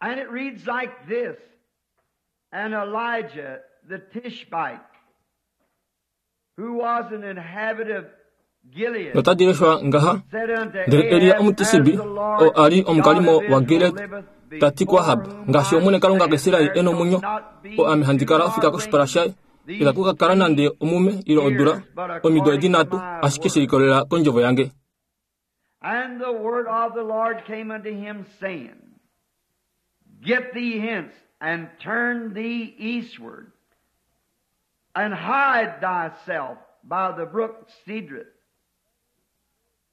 And it reads like this And Elijah the Tishbite, who was an inhabitant of Gilead, notadi leshwa ngaha said unto ndele Elia Ahab, Omutisibi As the Lord oo a li omukalimo God of wa Israel Gilead liveth, ta ti kuAhab before ngaashi whom Omwene I Kalunga stand, kaIsraeli there e nomwenyo shall not be oo ame handi kala ofika two koshipala shaye these itaku ka kala nande omume ile odula omido edi nhatu ashike she likolelela kondjovo yange. And the word of the Lord came unto him, saying, Get thee hence, and turn thee eastward, and hide thyself by the brook Cedrith.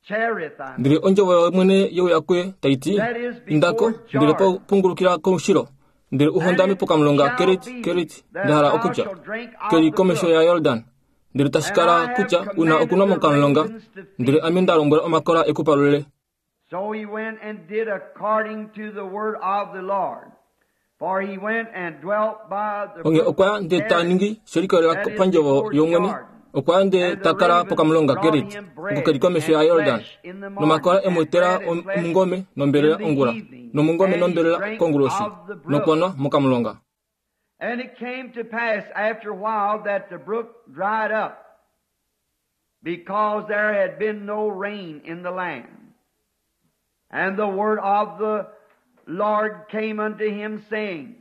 Cherith, I mean. Ndele ondjovo yOmwene ye uya kuye tai ti, That is Inda ko, before ndele Jordan. pungulukila koushilo, ndele u And hondame it pokamulonga shall Kerit, be Kerit, that nda hala thou okutya, shalt drink of keli the komesho brook. yaJordan. Ndele tashi And kala I have kutya u na commanded okunwa the mokamulonga, ravens to ndele feed ame nda lombwela omakola e ku palule. So he went and did according to the word of the Lord. For he went and dwelt by the Onghee brook okwa ya ndele ta Cherith, ningi she likolelela that is pandjovo before yOmwene, Jordan. okwa ya ndele And the ta kala ravens pokamulonga brought Kerit, him oko bread keli komesho and yaJordan. flesh in the Nomakola morning, e mu and etela bread and flesh omungome in nombelela the ongula, evening, nomungome and he nombelela drank konguloshi, of the brook. nokwa nwa mokamulonga. And it came to pass after a while that the brook dried up, because there had been no rain in the land. And the word of the Lord came unto him, saying,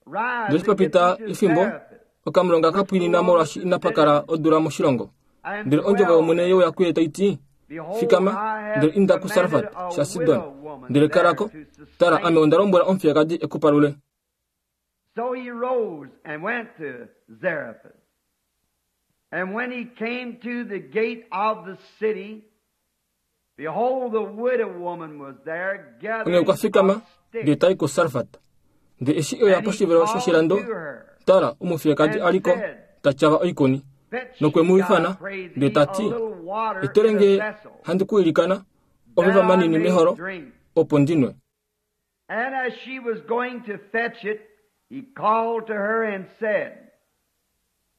Rise Ndele and eshi pa get pita thee to efimbo, Zarephath, okamulonga ka which pwinina belongeth molwaashi to inapa kala Sidon, odula moshilongo. and Ndele ondjovo dwell yOmwene ye uya there. kuye tai ti, Behold, Fikama, I have ndele inda commanded kuSarfat a shaSidon, widow woman ndele there kala ko, to tala ame sustain onda thee. lombwela omufiyekadi e ku palule. So he rose and went to Zarephath. And when he came to the gate of the city, behold, the widow woman was there Onghee okwa gathering fikama, up ndele sticks. ta i kuSarfat. Ndele eshi e uya And he poshivelo called shoshilando, to her tala, omufiyekadi and a li ko, said, ta tyava oikuni. Fetch Nokwe mu me, I ifana, pray ndele thee, ta a ti, little water Etele in a nge vessel, handi ku ilikana, that omeva I manini may meholo, drink. opo ndi nwe. And as she was going to fetch it, he called to her and said,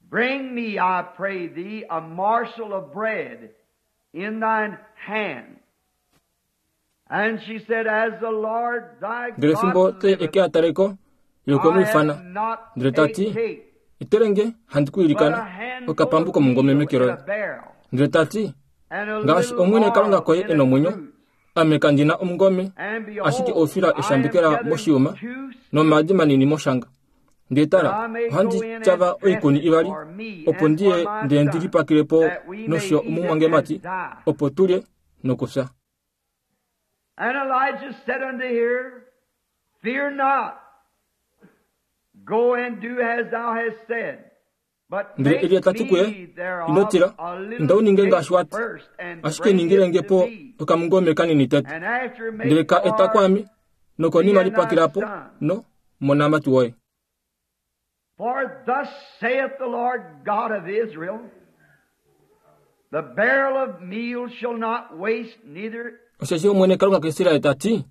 Bring me, I pray thee, a morsel of bread in thine hand. And she said, As the Lord thy Ndele fimbo God te liveth, eke a tale ko, ye okwe mu I ifana, have not ndele ta a ti, cake, Etele nge handi ku but a ilikana, handful okapambu of komungome meal meke in a loye. barrel, Ndele ta ti, and a Ngaashi little Omwene Kalunga oil koye in e a nomwenyo, cruse. ame kandi na omungome, And ashike behold, oufila I am eshambekela gathering moshiyuma, two nomaadi sticks, manini moshanga. Ndele that tala, I may ohandi go in and tyava dress oikuni it ivali, for me opo and ndi for ye my ndele ndi son, lipakile po that we may nosho eat it and omumwangemati, die. opo tulye nokufya. And Elijah said unto her, Fear not. Go and do as thou hast said. But Ndele make Elia ta ti kuye, me Ino thereof tila, a inda little u ninge cake ngaashi wa ti, first, and ashike bring ningile it nge to po me. okamungome kanini tete. And after Ndele make ka eta for kwaame, nokonima thee and thy lipakila po, son. no monamati woye. For thus saith the Lord God of Israel, The barrel of meal shall not waste, neither Osheshi Omwene Kalunga kaIsraeli ta ti,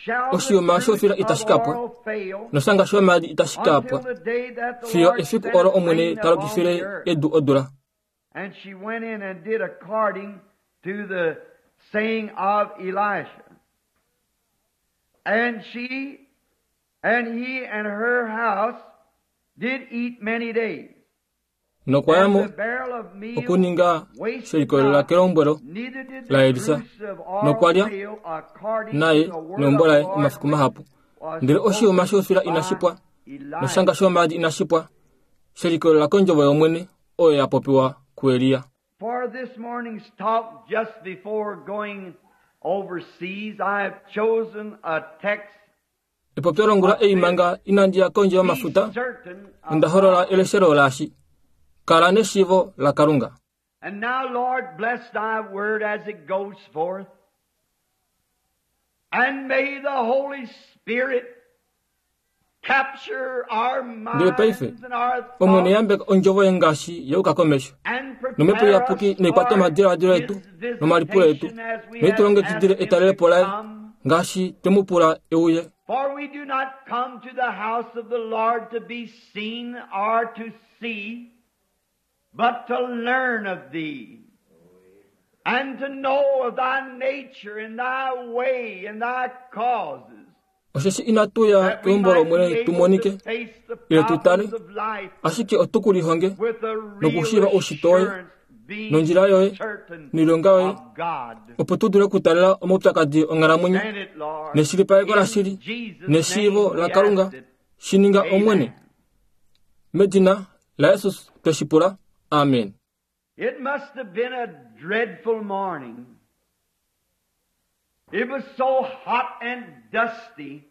shall the oshiyuma cruse shofila of itashi ka pwa, oil fail, noshanga shomaadi itashi ka until pwa, the day that the fiyo Lord efiku olo sendeth Omwene rain ta upon the lokifile earth. edu odula. And she went in and did according to the saying of Elisha. And she and he and her house did eat many days. Nokwa ya And mo the barrel of meal okuninga she wasted likolelela not, kelombwelo neither did the laElisa, cruse of oil nokwa lya fail according to naye the word neumbo of the laye Lord omafiku which mahapu. was Ndele oshiyuma spoken shofila inashi by pwa, Elisha. noshanga shomaadi inashi pwa, she likolelela kondjovo yOmwene oyo ya popiwa kuElia. For this morning's talk, just before going overseas, I have chosen a text. Epopyo longula of ei this. manga inandi ya kondje Be yomafuta, certain onda of holola God. eleshelo laashi, kala neshiivo laKalunga. And now, Lord, bless thy word as it goes forth. And may the Holy Spirit capture our Ndele paife, minds and our Omwene thoughts yambeka ondjovo ye ngaashi yeuka komesho. and Nomhepo prepare iyapuki us naikwate for omadiladilo His etu nomalipulo etu, visitation as we noi tu have asked longekidile Him to etalelepo laye come. ngaashi twe mu pula e uye. For we do not come to the house of the Lord to be seen or to see, but to learn of thee. And to know of thy nature and thy way and thy causes. Osheshi inatu ya That we keumbo might lOmwene be tu able monike to face the ile tu tale, problems of life ashike otu ku lihonge with a real nokushiiva oushitwe woye, assurance, being nondjila yoye, certain noilonga yoye, of God. opo tu dule okutalela omaupyakadi onghalamwenyo Grant it, Lord. neshilipaleko In lashili Jesus' neshiivo name we laKalunga ask it. shi ninga Amen. Omwene. Medina laJesus tweshi pula. Amen. It must have been a dreadful morning. It was so hot and dusty.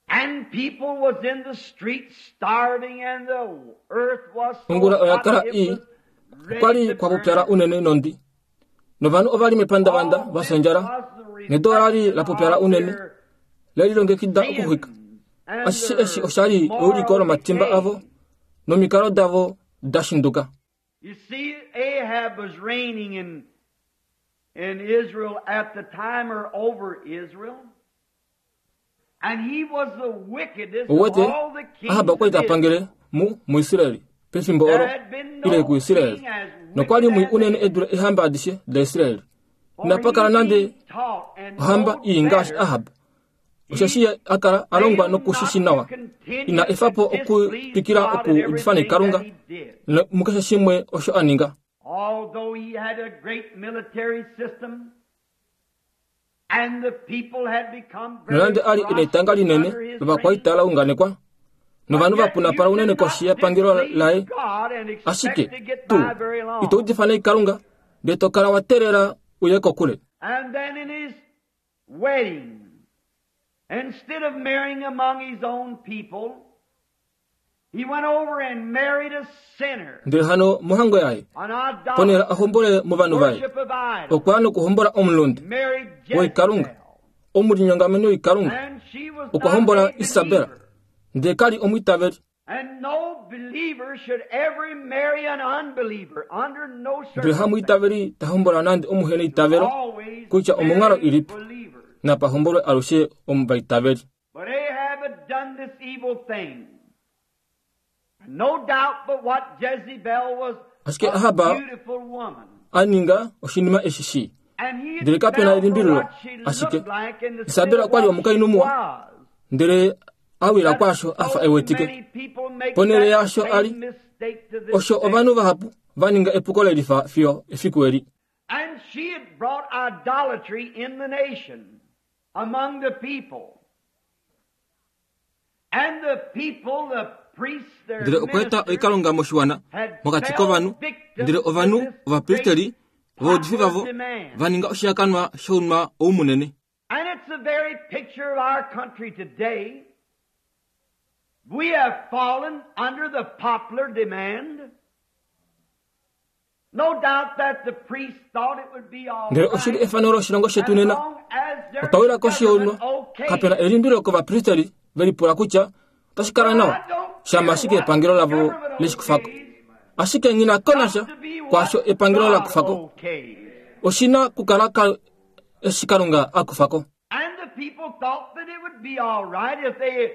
And people was in the streets starving and the earth was so Ongula oya hot kala it ii, was ready Okwali to kwa pupyala burn. unene nondi. Novanhu ova li mepandavanda All va this fya ondjala, was the nedo ola li la reflection pupyala of unene, their le lilongekida okuxwika. sins and Ashishe their eshi osha li euliko moral lomatimba decay. avo nomikalo davo da shinduka. You see, Ahab was reigning in Israel at the time or over Israel. And he was the wickedest of Ouwete, all the kings Ahab okwa li of ta Israel. pangele muIsraeli pefimbo olo There had been ile no kuIsraeli. king as Nokwa li wicked mwii as unene Ahab. e dule eehamba adishe daIsraeli. For Inapa he kala nande being taught and ohamba know ii ngaashi better, Ahab. Osheshi ye a kala a longwa failed nokushishi not to nawa. continue Ina to efa po displease okutwikila God in okuudifa everything naikalunga that he did. mukeshe shimwe osho a ninga. Although he had a great military system, and the people had become very Nonande a li e na etanga prosperous linene under his reign, lovakwaita la unganekwa, novanhu but va yet you punapala unene cannot koshi yepangelo displease laye, God and expect ashike to get tuu by very long. ito udifa naikalunga ndele to kala wa teelela uye kokule. And then in his wedding, instead of marrying among his own people, he went over and married a sinner, Ndele hano mohango yaye, an ponhele idolater, a hombole movanhu vaye, worship of idols, okwa ya nokuhombola omulunde married woikalunga, Jezebel. omulinyongameni woikalunga, And she was okwa not hombola a Isabel, believer. ndele ka li omwiitaveli. And no believer should ever marry an unbeliever under no Ndele circumstance. hamwiitaveli ta hombola nande omuheneitavelo, Always kutya omonghalo marry ilipi, believers. napa hombolwe alushe omuvaitaveli. But Ahab had done this evil thing. No doubt but what Jezebel was Ashike a Ahab beautiful woman. a ninga oshinima eshi shii. And he Ndele had kape na fell for elimbililo, what she ashike looked like and instead Isabel of okwa li what she omukainhu muwa, was. ndele a wila That's kwaasho a fa so e wetike. many people make Ponhele that yaasho a li, same mistake to this osho day. ovanhu vahapu va ninga epuko lelifa fiyo efiku eli. And she had brought idolatry in the nation, among the people. And the people, the priests, their Ndele okwa eta ministers, oikalunga moshiwana had mokati fell kovanhu, victim ndele to ovanhu this ovapristeri great ovaudifi popular vavo demand. va ninga oshihakanwa shounwa ou munene. And it's the very picture of our country today. We have fallen under the popular demand. No doubt that the priests thought it would be all Ndele oshi li right efano loshilongo as shetu nena. long as their Otwa wila koshi younwa, government okayed kape na it. elimbilo kovapristeri ve lipula kutya otashi kala But nawa I don't shama care ashike what epangelo the lavo government leshi kufako. okays, Ashike nghi na ko nasha got to be what kwaasho epangelo la God kufako. okays. Oshi na kukala eshi Kalunga a kufako. And the people thought that it would be all right if they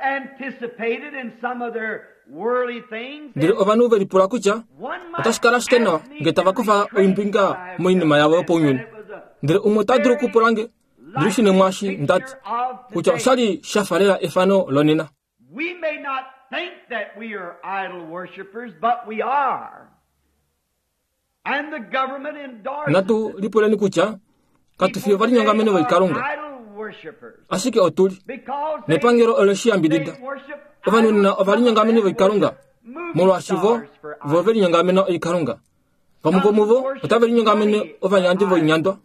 anticipated in some of their worldly things. Ndele And ovanhu ve lipula kutya one might otashi kala ashike nawa ask me ngee to tava kufa retrace oimbinga what I have moinima just yavo said, that yopaunyuni. it was a Ndele umwe ota dulu very okupula nge, ndili shine likely mwaashi ndati, picture of kutya today. osha li sha falela efano lonena. We may not think that we are idol worshippers, but we are. And the government endorses Natu it. lipuleni kutya katu fi People today ovalinyongamene are voikalunga, idol worshippers ashike otuli. because they Nepangelo ole shi yambidida. they worship Ovanhu idols. nena Some of ovalinyongamene them voikalunga, worship movie molwaashi vo stars for vo ve idols. linyongamena oikalunga. Vamwe Some vomuvo worship otave linyongamene money for ovanyandi idols. voinyandwa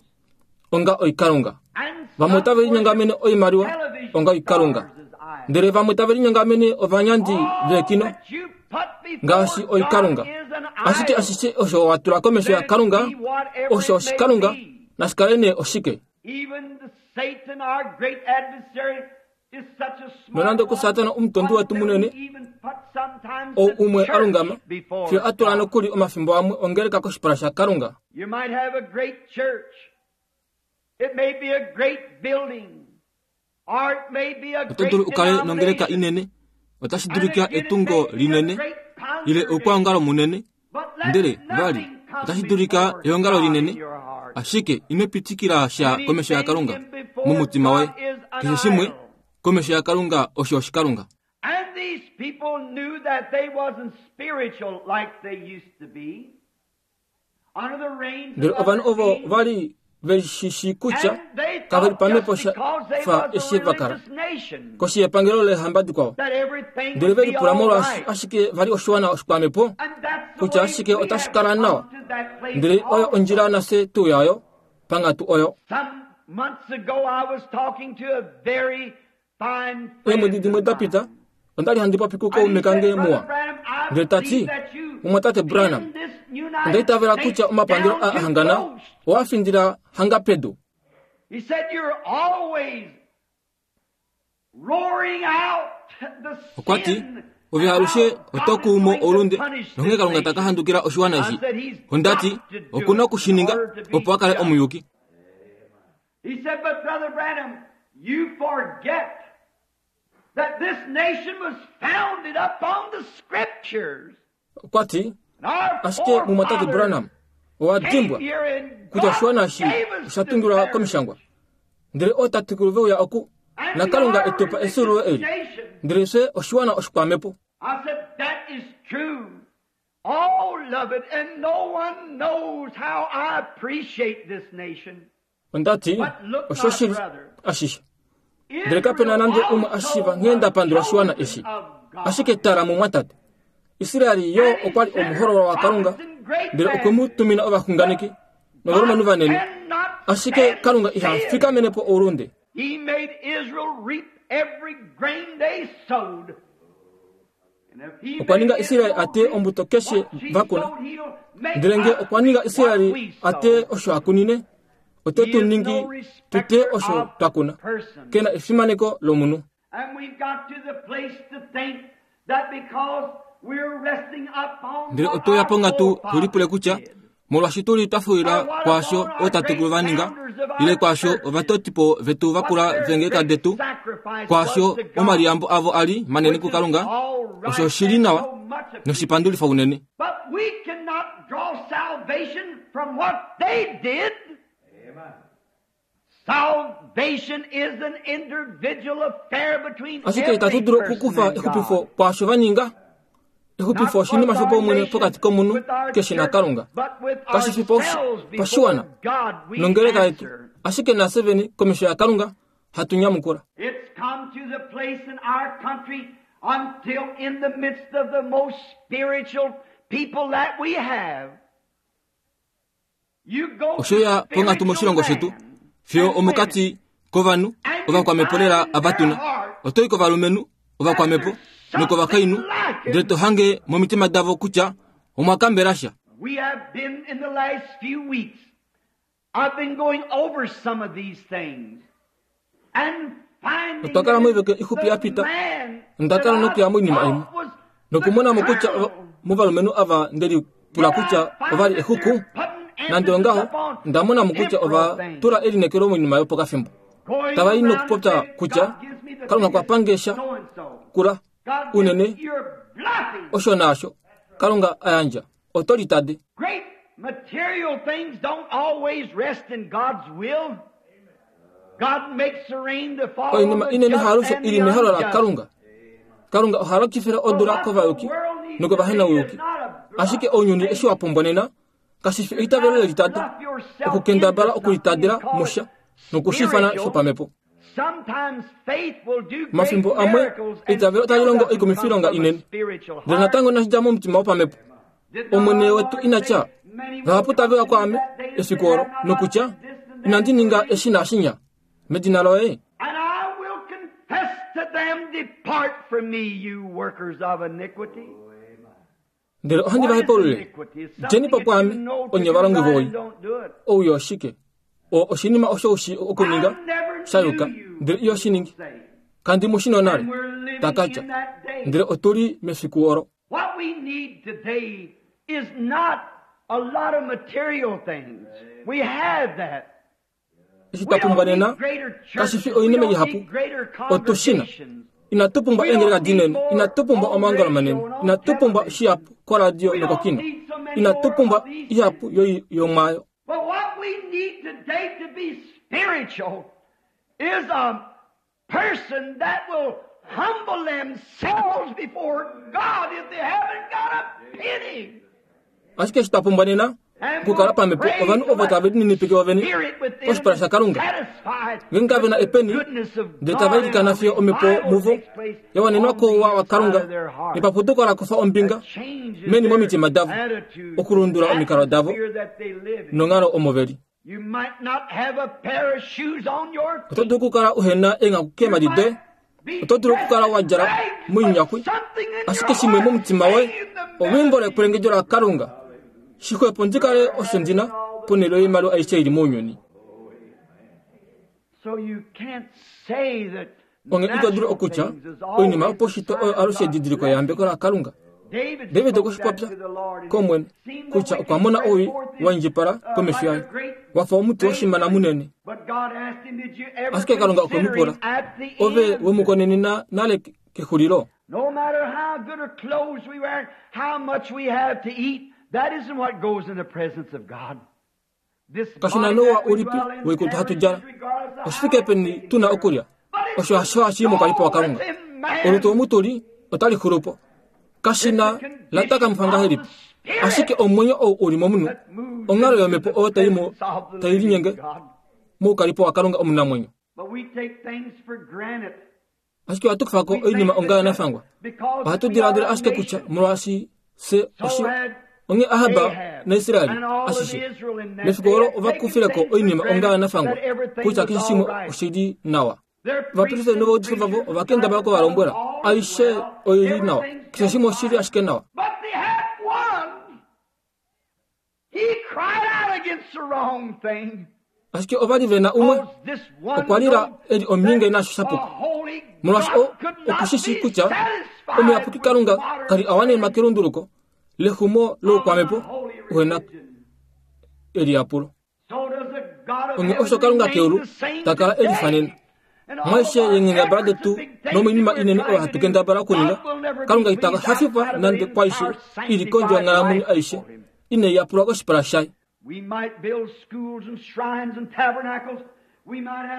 onga oikalunga. And Vamwe some otave worship linyongamene oimaliwa television onga oikalunga. stars as idols. Ndele vamwe tave linyongamene ovanyandi All veekino that you put before ngaashi God oikalunga. is an Ashike idol. ashishe osho wa tula komesho Let it yaKalunga, be whatever osho it may oshikalunga, be. nashi kale nee oshike. Even the Satan, our great adversary, is such a smart Nonande one kuSatana omutondi wetu until munene, he even put sometimes ou the umwe a church lungama, before fiyo a tula God. nokuli omafimbo amwe ongeleka koshipala shaKalunga. You might have a great church. It may be a great building. Or it may be a Oto great dulu u kale nongeleka denomination. inene, otashi And dulika again, it etungo may be a linene, great ile congregation. oukwaongalo munene, Ndele vali otashi dulika eongalo linene, ashike ino pitikila sha komesho yaKalunga momutima woye. Keshe shimwe komesho yaKalunga osho oshikalunga. And these people knew that they wasn't spiritual like they used to be. Under the reigns Ndele of ovanhu other ovo kings. va li ve shi shii kutya And they kave li thought pamhepo just sha because they fa was a eshi va kala religious nation koshi yepangelo leehamba dikwao. that everything Ndele would ve be lipula all molwaashi right. ashike va li oshiwana oshikwamhepo, And that's the kutya way ashike we otashi have kala come nawa. to that place Ndele oyo also. ondjila nafye tuu yayo panghatu oyo. Some months ago I was talking to a very fine Eemwedi friend dimwe of da mine. pita, onda li handi popi And he kukaume said, kange "Brother muwa. Branham, I Ndele ta ti, believe that you Mumwatate Branham, pinned this United onda itavela States kutya omapangelo down a to hangana toast." owa findila hanga pedu. He said, "You're always roaring out the Okwa ti, sin ove and alushe how oto God is kuumo going to oulunde punish this nonghee Kalunga ta ka nation." handukila oshiwana I eshi. said, "He's Onda ti, got to do oku na it oku shi in ninga order to be opo a kale just." omuyuki. He said, "But Brother Branham, you forget that this nation was founded upon the Scriptures. Okwa ti, And our ashike mumwatate forefathers Branham, owa came dimbwa here and kutya God oshiwana eshi gave us osha this tungilwa heritage. komishangwa. Ndele ootatekulu ve uya oku, And na we Kalunga are e tu pa a efyuululo religious eli. nation. Ndele fye oshiwana oshikwamhepo. I said, that is true. All of it, and no one knows how I appreciate this nation. Onda ti, But look, my oshoshili brother, ashishe. Ndele kape na Israel nande umwe a also shiiva nghee nda was pandula oshiwana chosen eshi. of God. Ashike tala mumwatate, Israel yo And he okwa li sent omuhololwa waKalunga, prophets and great ndele okwe mu men. tumina ovaxunganeki But novalumenhu God vanene. cannot Ashike stand Kalunga iha sin. fikamene po oulunde. He made Israel reap every grain they sowed. And if he Okwa made ninga Israel Israel a teye reap ombuto keshe what she va kuna. sowed, he'll make Ndele nge us okwa ninga reap what Israel we a teye sowed. osho a kunine, ote He tu is ningi no tu teye respecter osho of twa kuna. persons. Ke na efimaneko lomunhu. And we've got to the place to think that because we're resting upon Ndele what otwe ya our ponghatu tu lipule forefathers kutya did, molwaashi tu li twa or fuwila what kwaasho upon our ootatekulu great va ninga founders of ile our kwaasho churches, ovatotipo vetu va what kula their veengeleka great detu sacrifice was kwaasho to God, omaliyambo avo a li manene which is kuKalunga, all osho right oshi li and nawa so much appreciated. noshipandulifa unene. But we cannot draw salvation from what they did. Salvation is an individual affair between Ashike itatu every dulu person okukufa and exupifo God. kwaasho va ninga. Exupifo Not oshinima with our shopaumwene nation, pokati komunhu with our keshe church, naKalunga. but with Kashi fi ourselves before pashiwana God we nongeleka yetu, answer. ashike nafye vene komesho yaKalunga hatu nyamukula. It's come to the place in our country until in the midst of the most spiritual people that we have, you go to Osho ya ponghatu spiritual moshilongo shetu men fiyo and women, omokati kovanhu and you ovakwamhepo find lela in ava their tuna. heart Oto i kovalumenhu that ovakwamhepo there's something nokovakainhu, ndele lacking. to hange momitima davo kutya omwa kambela sha. We have been in the last few weeks, I've been going over some of these things and finding Otwa kala that moivike ixupi the ya pita, man onda that kala I nokuya moinima imwe thought was the nokumona mo kutya colonel, movalumenhu ava nde lipula yet I kutya ova find li that exuku, they're putting nande emphasis ongaho upon onda mona mo kutya temporal ova things. tula elineekelo moinima yopokafimbo. Going Tava i around and nokupopya saying, kutya God gives me the Kalunga okwa biggest pange sha so and so. kula God gives unene you're bluffing. osho naasho Kalunga a yandja oto litade. Great material things don't always rest in God's will. God makes the rain to fall on Oinima the inene just haalushe and i li the mehalo unjust. laKalunga. Kalunga oha lokifile But odula what the kovayuki world needs today is nokovahenauyuki. not a bluff Ashike ounyuni faith. eshi wa pumbwa nena kashi fi It's eitavelo not a lelitade bluff yourself okukendabala into something and okulitadila call it musha nokushifana spiritual. shopamhepo. Sometimes faith will do great Omafimbo amwe miracles and eitavelo otali still longo doesn't come oikumifilonga from a inene, spiritual ndele heart. natango inashi dja momutima wopamhepo. Did not Omwene our wetu Lord ina say, tya, Many will vahapu come tave to uya me kwaame that day and say, efiku olo Have not I nokutya done this and inandi that in ninga your name? eshi naashinya medina loye. And I will confess to them, Depart from me, you workers of iniquity. Ndele ohandi What va is hepaulule, iniquity? It's djeni something po that you kwaame know to onye do valongi right voii. and don't do it. Ouyo oshike? Oo oshinima osho u shii okuninga I never sha knew yuka, you, ndele iyo shi will ningi. say. Kandi mu shi nonale, And we're living takatya. in that day. Ndele otu li mefiku olo. What we need today is not a lot of material things. We have that. Eshi We twa don't pumbwa need nena greater kashi fi churches. We oinima don't ihapu. need greater Otu shi na. congregations. Inatu pumbwa We eengeleka don't need dinene, more inatu pumbwa on omaongalo radio manene, and on inatu pumbwa television. shihapu koradio We don't nokokino. need so many Inatu pumbwa ihapu yomwaayo. But what we need today to be spiritual is a person that will humble themselves before God if they haven't got a penny. Ashike eshi twa pumbwa nena okukala pamhepo ovanhu ovo tave lininipike vovene koshipala shaKalunga, ngeenge kave na epeni, ndele tava ilikana fiyo omhepo muvo ya wanenwa kouwa waKalunga nepapuduko la kufa ombinga meni momitima davo okulundula omikalo davo nonghalo omo ve li. Oto dulu okukala uhe na eenghaku keemhadi doye, oto dulu okukala wa djala moinyakwi, ashike shimwe momutima woye olwiimbo lekwelengedjo laKalunga. Shixwepo ndi kale osho ndi na ponhele yoimaliwa aishe ili mounyuni. Onghee ito dulu okutya oinima yopaushitwe oyo alushe edidiliko leyambeko laKalunga. David okwe shi popya kOmwene kutya okwa mona owii wa indjipala komesho yaye, wa fa omuti woshimana munene. Ashike Kalunga okwe mu pula, Ove we mu konenena nale kexulilo? No matter how good a clothes we wear, how much we have to eat, that isn't what goes in the presence of God. Kashi na nouwa ulipi woikutu hatu djala, oshi fike peni tu na okulya, osho hasho hashi i mokalipo waKalunga. Olutu omu tu li otali xulu po. Kashi na la takamifwa ngahelipi, ashike omwenyo ou u li momunhu, onghalo yomhepo oyo tai mu tai linyenge moukalipo waKalunga omunamwenyo. Ashike ohatu kufa ko oinima onga yanafangwa. Ohatu diladila ashike kutya molwaashi fye oshi onghee Ahab naIsrael ashishe mefiku olo ova kufile ko oinima onga yanafangwa kutya keshe shimwe oshi li nawa. Ovapristeri novaudifi vavo ova kendabala oku va lombwela aishe oi li nawa, keshe shimwe oshi li ashike nawa. Ashike ova li ve na umwe okwa lila e li omhinge naasho sha puka, molwaashi o oku shi shii kutya omuyapuki Kalunga ka li a wanenwa kelunduluko lexumo loukwamhepo uhe na eliyapulo. Onghee osho Kalunga keulu ta kala e lifanena. Mwaishe yeenghendabala detu nomoinima inene oyo hatu kendabala okuninga, Kalunga ita hafifwa nande kwaishe i li kondje yonghalamwenyo aishe inai yapulwa koshipala shaye.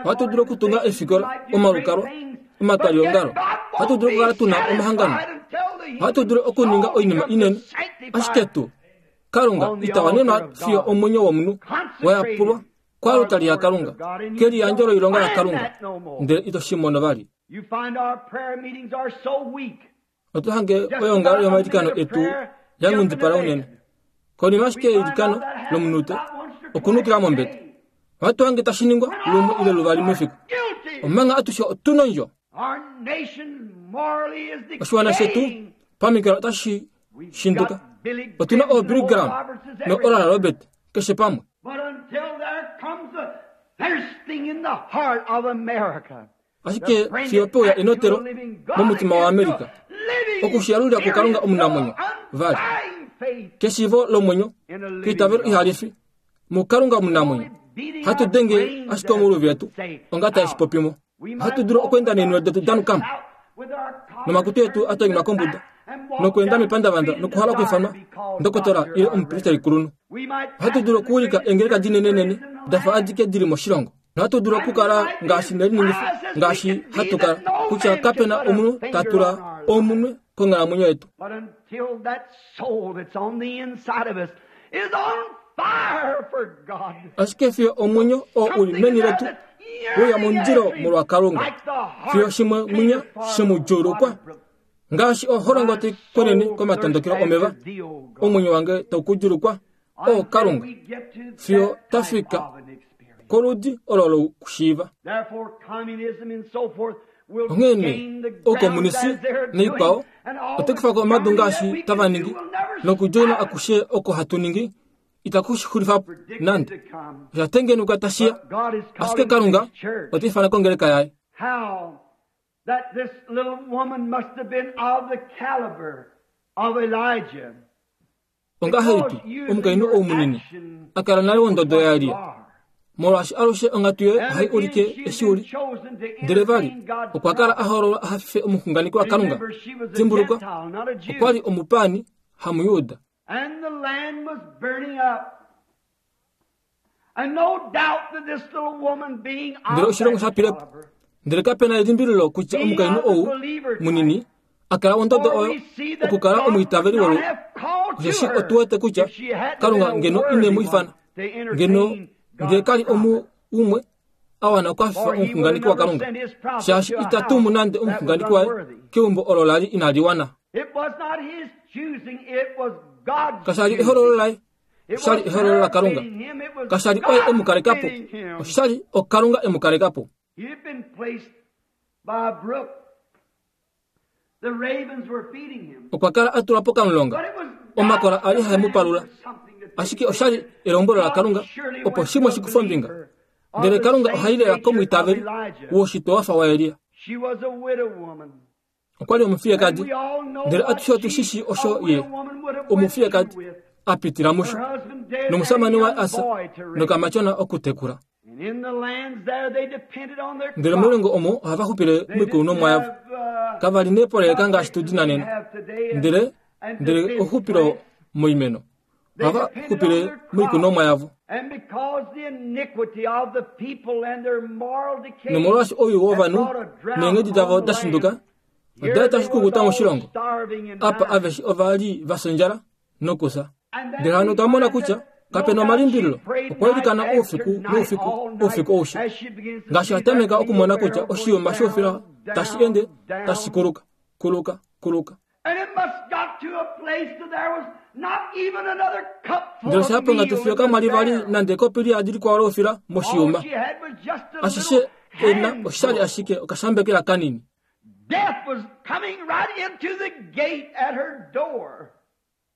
Ohatu dulu okutunga eefikola, omalukalwa, omatwaliongalo. Ohatu dulu okukala tu na omahangano. Ohatu dulu okuninga oinima inene, ashike tu Kalunga ita wanenwa fiyo omwenyo womunhu wa yapulwa kwalutali yaKalunga, keliyandjo loilonga yaKalunga, ndele ito shi mono vali. Oto hange oyoongalo yomailikano etu ya nghundipala unene. Konima ashike yeilikano lomunute okunukila mombete, ohatu hange tashi ningwa lumwe ile luvali mefiku, omanga atushe otu nondjo. Oshiwana shetu pamikalo otashi shinduka. Otu na ooBilly Graham noOral Robert keshe pamwe. Ashike fiyo pe uya enotelo momutima waAmerica, oku shi yalulila kuKalunga omunamwenyo, vali, keshiivo lomwenyo, keitavelo ihali fi, muKalunga omunamwenyo, hatu denge ashike omuluvi etu, onga tae shi popi mo. Ohatu dulu okweenda neenwele detu da nuka mo, nomakutu etu a tonyelwa kombuda, nokweenda mepandavanda nokuhala okwiifanwa ndokotola ile omupristelikulunhu. Ohatu dulu okuwilika eengeleka dinenenene da fa adike di li moshilongo. Nohatu dulu okukala ngaashi neliningifa ngaashi hatu kala, kutya kape na omunhu ta tula omunwe konghalamwenyo yetu. Ashike fiyo omwenyo oo u li meni letu we ya momundilo molwaKalunga, fiyo shimwe mwinya she mu djuulukwa, ngaashi oholongo tai konene komatondokelo omeva, omwenyo wange tau ku djuulukwa, o Kalunga, fiyo ta fika koludi olo lokushiiva. Onghee nee, oukomunisi naikwao otai kufa ko omadu ngaashi tava ningi, nokudjoina akushe oko hatu ningi itaku shi xulifa po nande. Osha tengenekwa tashi ya, ashike Kalunga ota ifana kongeleka yaye. Ongahelipi omukainhu ou munini a kala nale wondodo yaElia? Molwaashi alushe onghatu yoye ohai ulike eshi u li. Ndele vali, okwa kala a hoololwa a hafife omuxunganeki waKalunga. Dimbulukwa, okwa li omupaani, hamuJuda. And the land was burning up. And no doubt that this little woman being Ndele oshilongo sha pile po. Ndele kape na elimbililo kutya omukainhu ou munini a kala ondodo oyo okukala omwiitaveli wolu osheshi otu wete kutya Kalunga ngeno ine mu ifana ngeno ngee kali omu umwe a wana okwafifa omuxunganeki waKalunga, shaashi ita tumu nande omuxunganeki waye keumbo olo lali inali wana. Kasha li ehololo laye, osha li ehololo laKalunga. Kasha li oye e mu kaleka po, osha li oKalunga e mu kaleka po. Okwa kala a tulwa pokamulonga, omakola a li hae mu palula. Ashike osha li elombwelo laKalunga opo shimwe shi kufe ombinga. Ndele Kalunga oha i lela komwiitaveli woshitwe wa fa waElia. Okwa li omufiyekadi, ndele atushe otu shi shii osho ye, omufiyekadi, a pitila musho, nomushamane waye a fya, nokamatyona okutekula. Ndele moilongo omo ohava xupile moikunomwa yavo. Kava li neepoleleka ngaashi tu di na nena. Ndele, ndele ouxupilo moimeno. Ohava xupile moikunomwa yavo. Nomolwaashi owii wovanhu neenghedi davo da shinduka oda eta oshikukuta moshilongo. Apa aveshe ova li va fya ondjala nokufya. Ndele hano otwa mona kutya kape na omalimbililo okwa ilikana oufiku noufiku oufiku aushe ngaashi a tameka okumona kutya oshiyuma shoufila tashi ende tashi kuluka kuluka kuluka. Ndele osha ya ponghatu fiyo kamwa li vali nande ekopi liyadi likwao loufila moshiyuma. Ashishe e na osha li ashike okashambekela kanini.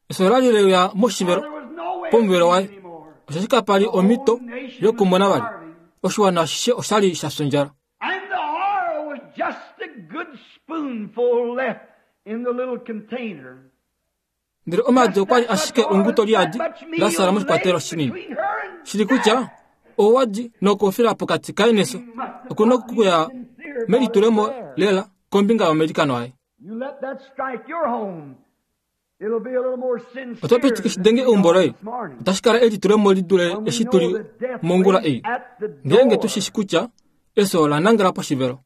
Efyo ola li le uya moshivelo pomuvelo waye, osheshi kapa li omhito yokumona vali. Oshiwana ashishe osha li sha fya ondjala. Ndele omaadi okwa li ashike onguto liyadi la sala moshikwatelwa shinini, shili kutya owa li nokufila pokati kaye nefyo, oku na okuya melitulemo lela kombinga yomailikano aye. Oto pitike shi denge eumbo loye, otashi kala elitulemo li dule eshi tu li mongula ei, ngeenge tu shi shi kutya efyo ola nangela poshivelo.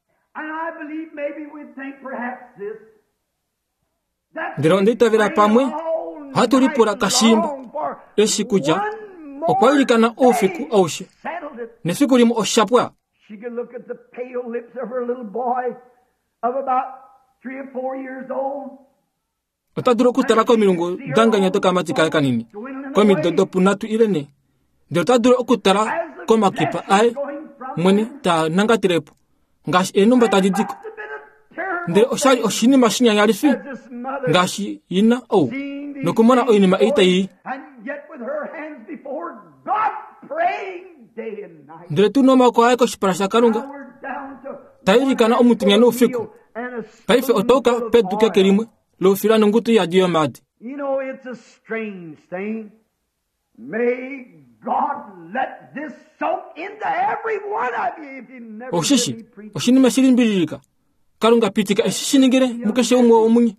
Ndele onda itavela pamwe ohatu lipula kashiimba eshi kutya okwa ilikana oufiku aushe nefiku limwe osha pwa. Ota dulu okutala komilungu danganya dokamati kaye kanini komido dopunhatu ile ne, ndele ota dulu okutala komakipa aye mwene taa nangatile po ngaashi eenhumba tadi di ko. Ndele osha li oshinima shinyanyalifi ngaashi ina ou nokumona oinima ei tai i. Ndele tu nomaoko aye koshipala shaKalunga, ta ilikana omutenya noufiku. Paife otwa yuka pedu keke limwe loufila nongutu yadi yomaadi. Osheshi oshinima shi limbililika, Kalunga pitika eshi shi ningile mukeshe umwe womunye.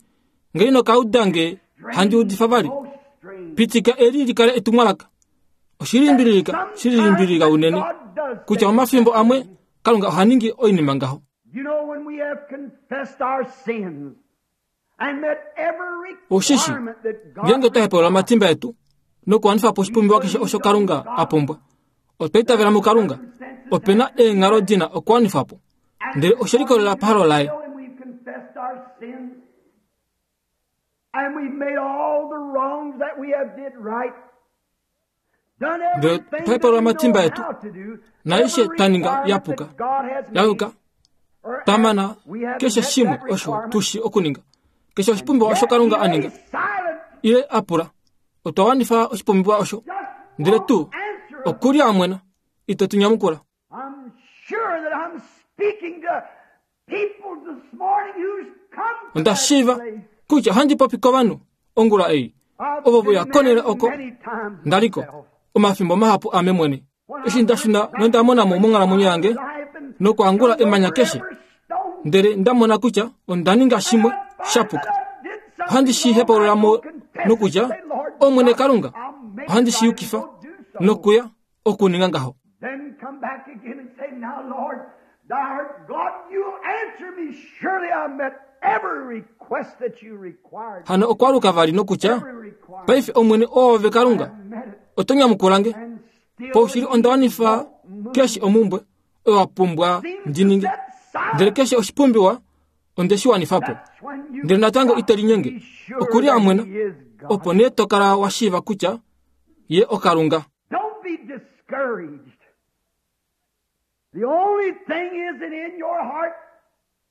Nge ino ka uda nge handi udifa vali, pitika eli li kale etumwalaka. Oshi limbililika, shi limbililika unene, kutya omafimbo amwe Kalunga oha ningi oinima ngaho. Osheshi ngeenge otwa hepaulula omatimba etu nokuwanifa po oshipumbiwa keshe osho Kalunga a pumbwa, otwa itavela muKalunga, ope na eenghalo di na okuwanifwa po, ndele oshe likolelela pahalo laye. Ndele otwa hepaulula omatimba etu, naaishe twa ninga ya puka, ya yuka, twa mana keshe shimwe osho tu shi okuninga, keshe oshipumbiwa osho Kalunga a ninga ile a pula, otwa wanifa oshipumbiwa osho, ndele tu oku li a mwena, ito tu nyamukula. Onda shiiva kutya ohandi popi kovanhu ongula ei ovo ve uya konhele oko nda li ko omafimbo mahapu ame mwene. Eshi nda shuna nonda mona mo monghalamwenyo yange nokwaangula emanya keshe, ndele nda mona kutya onda ninga shimwe sha puka. Ohandi shi hepaulula mo nokutya, Omwene Kalunga, ohandi shi yukifa nokuya okuninga ngaho. Then come back again and say, Now, Lord, thou art God, you'll answer me. Surely I met every request that you required. Hano okwaluka vali nokutya, Every requirement. paife Omwene oove Kalunga, I met it. oto nyamukula nge. And still Paushili onda wanifa keshe omumbwe oyo wa pumbwa seems ndi to ninge. set silent. Ndele keshe oshipumbiwa onde shi wanifa po. That's when you Ndele natango got ite linyenge. to be sure Okuli that amwena, he is God. opo nee to kala wa shiiva kutya ye oKalunga. Don't be discouraged. The only thing is that in your heart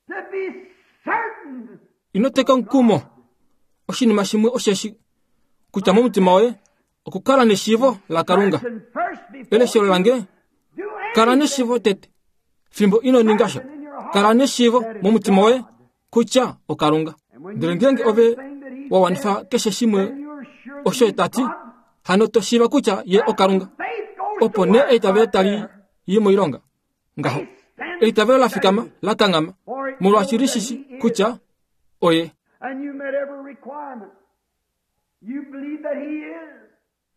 to be certain Ino teka omukumo. Oshinima shimwe osheshi kutya momutima woye okukala neshiivo laKalunga. Certain first before Eleshelo lange, you do kala anything. neshiivo tete fimbo ino ninga sha. Kala neshiivo momutima woye kutya oKalunga. Ndele ngeenge ove wa wanifa keshe shimwe Then you're sure that osho he's ta ti, God. hano to shiiva kutya ye oKalunga. Faith goes to Opo nee work eitavelo right tali there. yi moilonga. Ngaho. Faith stands Eitavelo la fikama, steady, la kanghama, for it molwaashi knows li that shi shi he is. kutya oye. And you met every requirement. You believe that he is.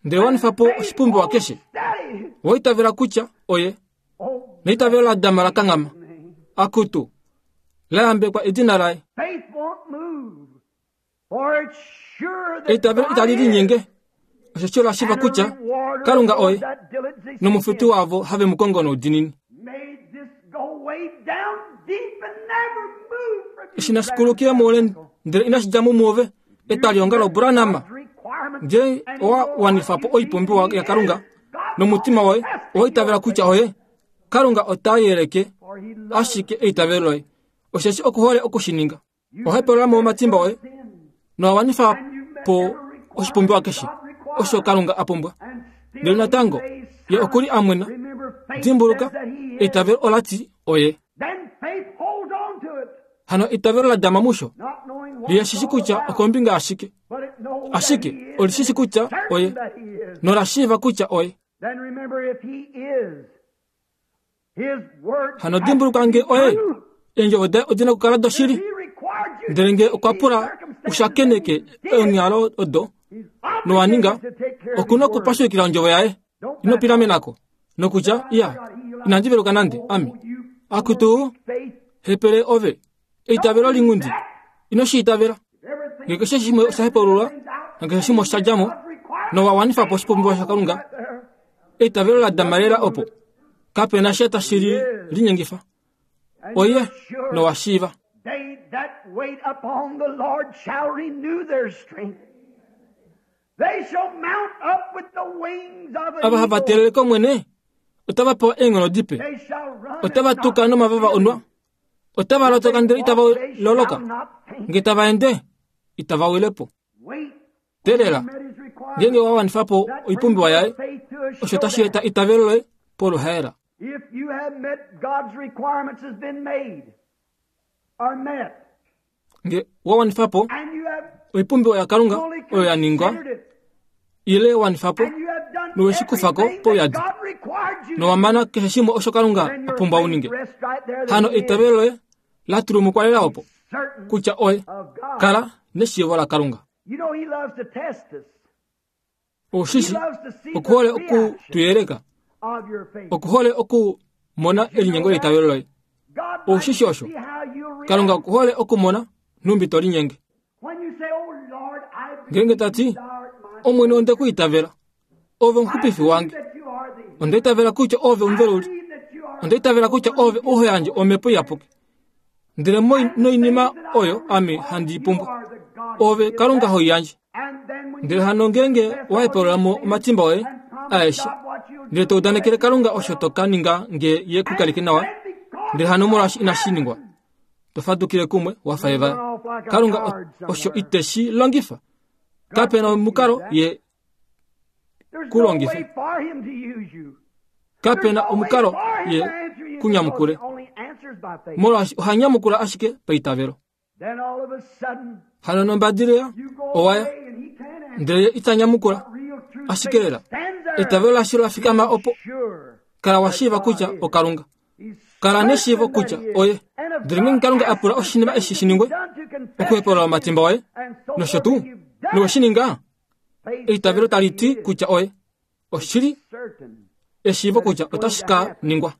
Ndele wanifa po Faith oshipumbiwa holds keshe. steady. Wa itavela kutya oye. Oh, Neitavelo la dama la kanghama. name. Akutu. La yambekwa edina laye. Faith won't move. For it's sure that Eitavelo God itali is. linyenge. Osheshi ola shiiva And a kutya rewarder Kalunga of those oye. that diligently seek Nomufuti him. wavo have mu kongo noudinini. May this go way down deep and never move from you. Eshi nashi kulukile muule ndele inashi dja mo muove etwalihonga loBranham. Ngee owa wanifa po oipumbiwa yaKalunga nomutima woye owa itavela kutya oye, Kalunga ota yeleke ashike eitavelo loye. Osheshi okuhole okushininga. Oha hepolola mo omatimba oye nowa wanifa po oshipumbiwa keshe osho Kalunga a pumbwa. Ndele natango ye okuli amwena. Dimbuluka, eitavelo ola ti oye. Then faith holds on to it, Hano eitavelo la dama musho not knowing what liye it's shishi all kutya about, okombinga ashike. but it knows that Ashike he is, oli shishi kutya certain oye that he is. nola shiiva kutya oye. Then remember if he is, his word Hano has dimbuluka to nge be oye, true. eendjovo daye odina okukala If doshili. he required you Ndele to nge meet okwa these pula circumstances, ushakeneke and you did it, eenghalo odo he's nowa ninga, obligated to take care of okuna his word. okupashukila ondjovo yaye. Don't Ino back off. pilamenako nokutya iya inandi veluka nande ame. Oh, you Akutu poor faith. hepele ove eitavelo Don't do lingundi that. ino shi itavela. Everything Nge keshe shimwe osha hepululwa nge shimwe osha dja mo God's requirement, nowa wanifa po oshipumbiwa shaKalunga, right there. eitavelo la dama lela opo. Kapena sha tashi li linyengifa. And Oye you're sure nowa shiiva. They that wait upon the Lord shall renew their strength. They shall mount up with the wings of an Ava hava eagle. teelele kOmwene otava pewa eenghono dipe. They shall run Otava and not tuka be nomavava weary. onwa. Otava If they lotoka ndele itava walk, they shall loloka. not faint. Nge tava ende itava wile po. Wait when Teelela you met his requirement. ngeenge wa wanifa po That brings oipumbiwa your yaye, faith to a osho tashi eta showdown. eitavelo loye poluhaela. If you have met God's requirements has been made or met, Nge wa wanifa po and you have oipumbiwa yaKalunga fully oyo ya ningwa considered it, ile wanifa po and you have done nowe shi kufa ko everything that pouyadi God required you nowa to do, mana keshe shimwe osho Kalunga then a your pumbwa u faith ninge. rests right there that Hano He is eitavelo loye la tulumukwa lela opo certain kutya oye of God. kala neshiivo laKalunga. You know He loves to test us. He Oshishi loves to see the okuhole oku reaction tu yeleka, of your faith. okuhole okumona Did you know elinyengo that? leitavelo loye. God likes Oshishi to osho see how you Kalunga react. okuhole okumona numbi to linyenge. When you say, Oh Lord, I Ngeenge believe tati thou art my Omwene onde ku Savior. itavela, ove I omuxupifi believe wange. that you are the Onda itavela kutya ove I omuveluli. believe that you are Onda itavela kutya the one ove who oho gives yandje the Holy omhepo Spirit. iyapuki. Ndele And the noinima things that I oyo ame require, handi i you pumbwa, are the God who ove gives Kalunga that. ho i yandje. And then when Ndele you hano ngeenge confess wa all hepolola your mo sins omatimba oye and promise aeshe, God what you'll ndele do to to udanekele let you Kalunga osho well, to ka ninga nge ye ku and kaleke nawa, then because ndele it's hano not molwaashi inashi ningwa, happened, to fadukile kumwe wa fa you evaya. run off like a Kalunga coward osho somewhere. ite shi longifa. God Kapena can't use omukalo that. ye There's ku no longife. way for him to use you. There's Kapena no way omukalo for him ye to answer you ku because he nyamukule. only answers by faith. Molwaashi oha nyamukula ashike paitavelo. Then all of a sudden, Hano nombadilila you go owaya away and he can't answer. ndele ye ita nyamukula But real true faith ashike lela stands there eitavelo lasho la fikama being opo sure kala wa that shiiva God kutya is. oKalunga. He's Kala neshiivo certain that kutya he is. oye. And if Ndele ngeenge God Kalunga a asks pula the oshinima thing eshi to shi be ningwe, done to confess okuhepolola your omatimba sins oye and so nosho forth, tuu and you've done nowe it, shi ninga, Eitavelo tali ti kutya oye. Oshili eshiivo kutya otashi ka ningwa.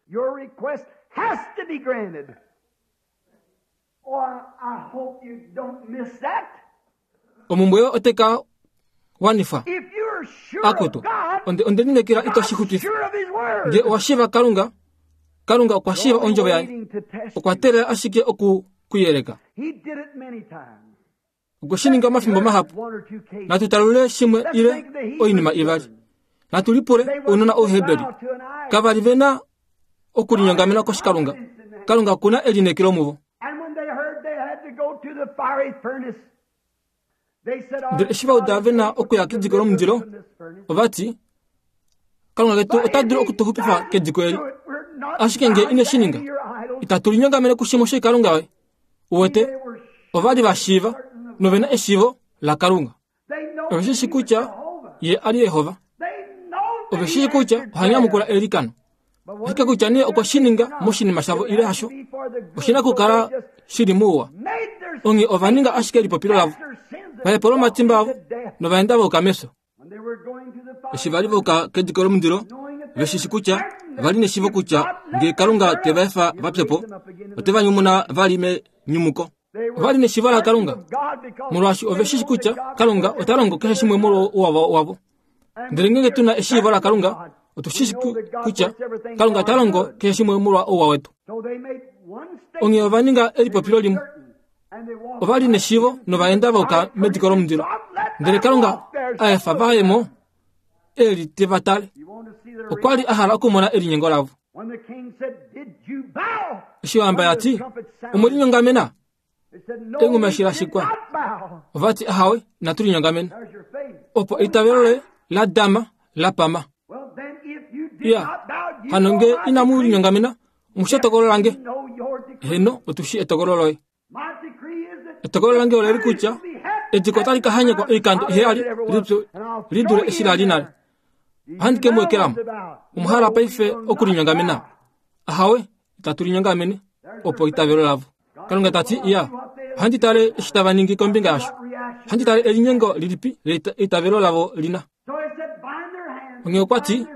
Omumbwe yoye ote ka wanifwa. Akutu, onde onde lineekela ito shi xutwifa. Nge owa shiiva Kalunga, Kalunga okwa shiiva ondjovo yaye. Okwa teelela ashike oku ku yeleka. Okwe shi ninga omafimbo mahapu. Natu talule shimwe ile oinima ivali. Natu lipule ounona Ouheberi. Kava li ve na okulinyongamena koshikalunga. Kalunga oku na elineekelo muvo. Ndele eshi va uda ve na okuya kediko lomundilo, ova ti, Kalunga ketu ota dulu oku tu xupifa kediko eli. Ashike nge ine shi ninga, itatu linyongamene kushimwe shoikalunga yoye. Uwete, ova li va shiiva nove na eshiivo laKalunga. Ove shi shi kutya ye a li Jehova. Ove shi shi kutya oha nyamukula eilikano. Ashike kutya nee okwe shi ninga moshinima shavo ile hasho, oshi na okukala shi li mouwa. Onghee ova ninga ashike elipopilo lavo, va hepola omatimba avo nova enda va yuka mefyo. Eshi va li va yuka kediko lomundilo, ve shi shi kutya va li neshiivo kutya ngee Kalunga te va efa va pye po, ote va nyumuna vali menyumuko. Ova li neshiivo laKalunga, molwaashi ove shi shi kutya Kalunga ota longo keshe shimwe molwouwa wavo. Ndele ngeenge tu na eshiivo laKalunga, otu shi shi kutya Kalunga ota longo keshe shimwe molwa ouwa wetu. Onghee ova ninga elipopilo limwe. Ova li neshiivo nova enda va yuka mediko lomundilo. Ndele Kalunga a efa va ye mo e li te va tale. Okwa li a hala okumona elinyengo lavo. Eshi ohamba ya ti, Omwe linyongamena? Enghuma eshi la shikwa, ova ti, Ahawe, inatu linyongamena. Opo eitavelo loye la dama la pama. Ya, hano nge inamu linyongamena, omu shi etokolo lange. Heno, otu shi etokolo loye. Etokolo lange oleli kutya ediko otali ka hanyekwa oikando iheyali li dule eshi la li nale. Ohandi ke mu ekela mo. Omwa hala paife okulinyongamena? Ahawe, itatu linyongamene, opo eitavelo lavo. Kalunga ta ti, Ya, ohandi tale eshi tava ningi kombinga yasho. Ohandi tale elinyengo lilipi leitavelo lavo li na. Onghee okwa ti,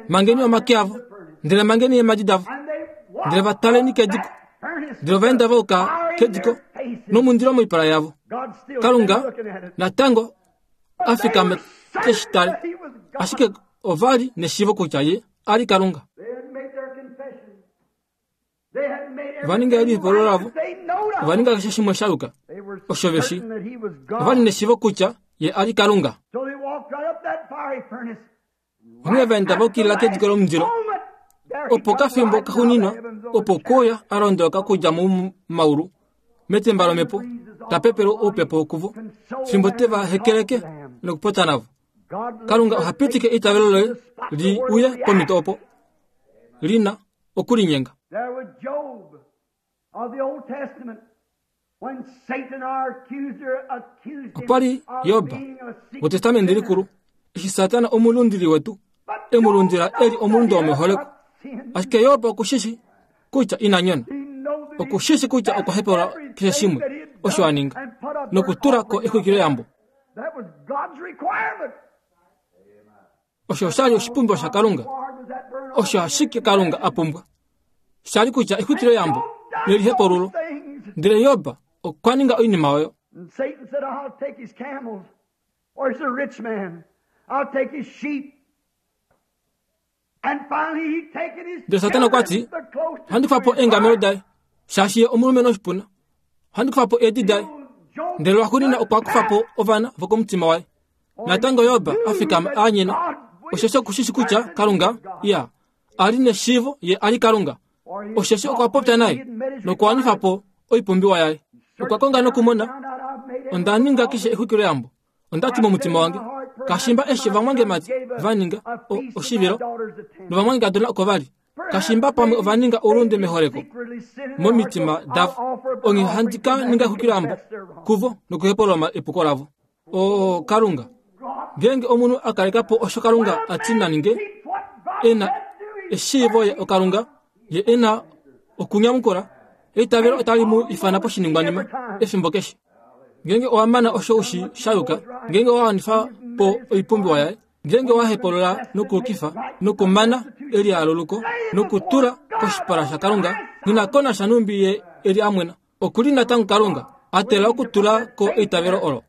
Mangeni omake avo, ndele mangeni eemhadi davo, ndele va taleni kediko. Ndele ova enda va yuka kediko nomundilo moipala yavo. Kalunga natango a fikama te shi tale, ashike ova li neshiivo kutya ye a li Kalunga. Ova ninga elipolo lavo, ova ninga keshe shimwe sha yuka osho ve shi. Ova li neshiivo kutya ye a li Kalunga. Onghee va enda va ukilila kediko lomundilo. Opo kafimbo kaxuuninwa opo kouya a londoloka okudja momaulu metemba lomhepo ta pepele oupepo kuvo fimbo te va hekeleke nokupopya navo. Kalunga oha pitike eitavelo loye li uye pomhito opo li na okulinyenga. Opa li Job wEtestamenti Likulu, eshi Satana omulundili wetu e mu lundila e li omulunde womeholeko. Ashike Job oku shi shi kutya ina nyona. Oku shi shi kutya okwa hepeula keshe shimwe osho a ninga nokutula ko exwikiloyambo. Osho osha li oshipumbiwa shaKalunga. Osho ashike Kalunga a pumbwa. Sha li kutya exwikiloyambo nelihepululo. Ndele Job okwa ninga oinima oyo. Ndele Satana okwa ti, Ohandi kufa po eengamelo daye, shaashi ye omulumenhu oshipuna. Ohandi kufa po eedi daye. Ndele lwaxuuninwa okwa kufa po ovana vokomutima waye. Natango Job a fikama a anyena, osheshi oku shi shi kutya Kalunga ya a li neshiivo ye a li Kalunga, osheshi okwa popya naye nokuwanifa po oipumbiwa yaye. Okwa konga nokumona, onda ninga keshe exwikiloyambo. Onda ti momutima wange, kashimba eshi ovamwangemati va ninga oshivilo novamwangekadona oko va li, kashimba pamwe ova ninga oulunde meholeko momitima davo, onghee handi ka ninga exwikiloyambo kuvo nokuhepolola epuko lavo. O Kalunga, ngeenge omunhu a kaleka po osho Kalunga a ti na ninge, e na eshiivo ye oKalunga, ye e na okunyamukula, eitavelo otali mu ifana poshiningwanima efimbo keshe. Ngeenge owa mana osho u shi sha yuka, ngeenge owa wanifa po po oipumbiwa yaye. Ngeenge owa hepolola nokuukifa nokumana elialuluko nokutula koshipala shaKalunga, nghi ko nasha nhumbi ye e li a mwena, oku li natango Kalunga, a teelela okutula ko eitavelo olo.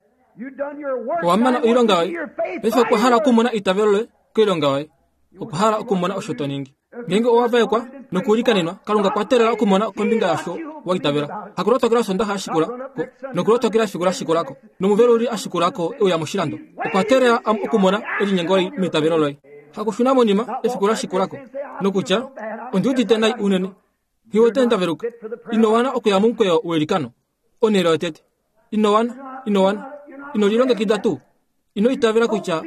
Owa mana oilonga yoye, paife okwa hala okumona eitavelo loye koilonga yoye. Okwa hala okumona osho to ningi. Ngeenge owa vaekwa nokuilikanenwa, Kalunga okwa teelela okumona kombinga yasho wa itavela. Hakulotokela Osondaxa ya shikula ko, nokulotokela efiku la shikula ko, nomuveluli a shikula ko e uya moshilando. Okwa teelela okumona elinyengo meitavelo loye. Hakushuna monima efiku la shikula ko, nokutya, Ondi udite nai unene. Nghi wete nda veluka. Ino wana okuya momukweyo weilikano. Onhele yotete. Ino wana, ino wana. Ino lilongekida tuu. Ino itavela kutya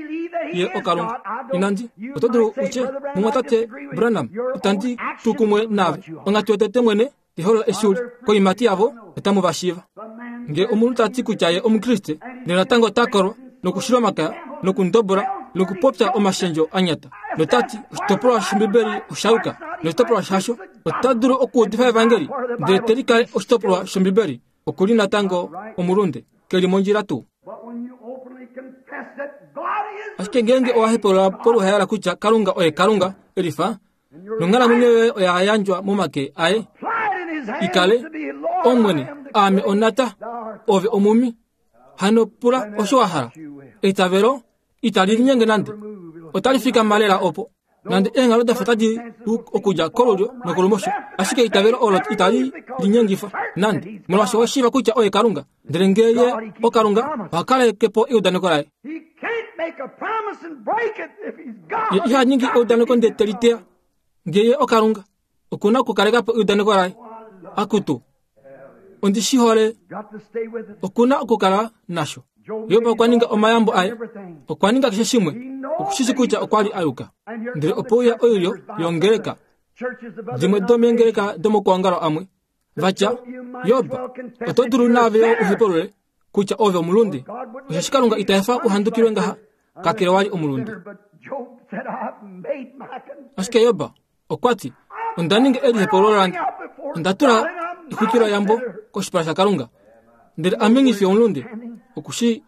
ye oKalunga. Inandi, oto dulu u tye, Mumwatate Branham, itandi tu kumwe naave. Onghatu yotete mwene, liholola eshi u li. Koiimati yavo otamu va shiiva. Nge omunhu ta ti kutya ye Omukriste, ndele natango ota kolwa, nokushila omakaya, nokundobola, nokupopya omashendjo a nyata, nota ti oshitopolwa shOmbibeli osha yuka, noshitopolwa shasho, ota dulu okuudifa evangeli, ndele te likale oshitopolwa shOmbibeli, oku li natango omulunde, ke li mondjila tuu. Ashike ngeenge owa hepolola poluhaela kutya Kalunga oye Kalunga, elifa, nonghalamwenyo yoye oya yandjwa momake aye, i kale, Omwene, aame onata, ove omumi, hano pula osho wa hala. Eitavelo itali linyenge nande, otali fikama lela opo. Nande eenghalo da fa tadi lu okudja kolulyo nokolumosho, ashike eitavelo olo itali linyengifa nande, molwaashi owa shiiva kutya oye Kalunga. Ndele ngee ye oKalunga, oha kaleke po eudaneko laye. Ye iha ningi eudaneko ndele te li teya. Ngee ye oKalunga, oku na okukaleka po eudaneko laye. Akutu, ondi shi hole. Oku na okukala nasho. Job okwa ninga omayambo aye, okwa ninga keshe shimwe, oku shi shi kutya okwa li a yuka. Ndele opo uya oilyo yongeleka, dimwe domeengeleka domokuongalo amwe, va tya, Job, oto dulu naave yo u hepulule kutya ove omulunde, osheshi Kalunga ita efa u handukilwe ngaha, kakele wa li omulunde. Ashike Job okwa ti, Onda ninga elihepululo lange, onda tula exwikiloyambo koshipala shaKalunga, ndele ame nghi fi omulunde. Oku shi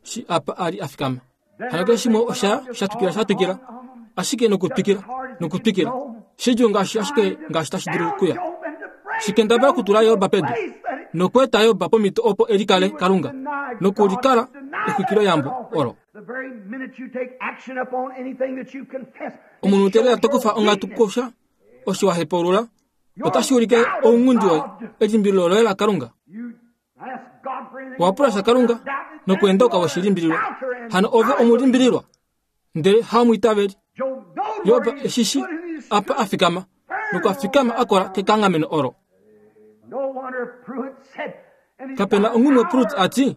shi apa a li a fikama. Hano keshe shimwe osha sha twikila sha twikila, ashike nokutwikila nokutwikila, shidjuu ngaashi ashike ngaashi tashi dulu okuya. Shikendabala okutula Job pedu nokweeta Job pomhito opo e likale Kalunga nokulikala exwikiloyambo olo. Omunhu te lela to kufa onghatu kusha osho wa hepaulula, otashi ulike ounghundi woye, elimbililo loye laKalunga. Owa pula sha Kalunga nokweenda we shi limbililwa. Hano ove omulimbililwa, ndele haomwiitaveli. Job eshi shi apa a fikama, nokwa fikama a kola kekanghameno olo. Kape na onghumwe Prut a ti,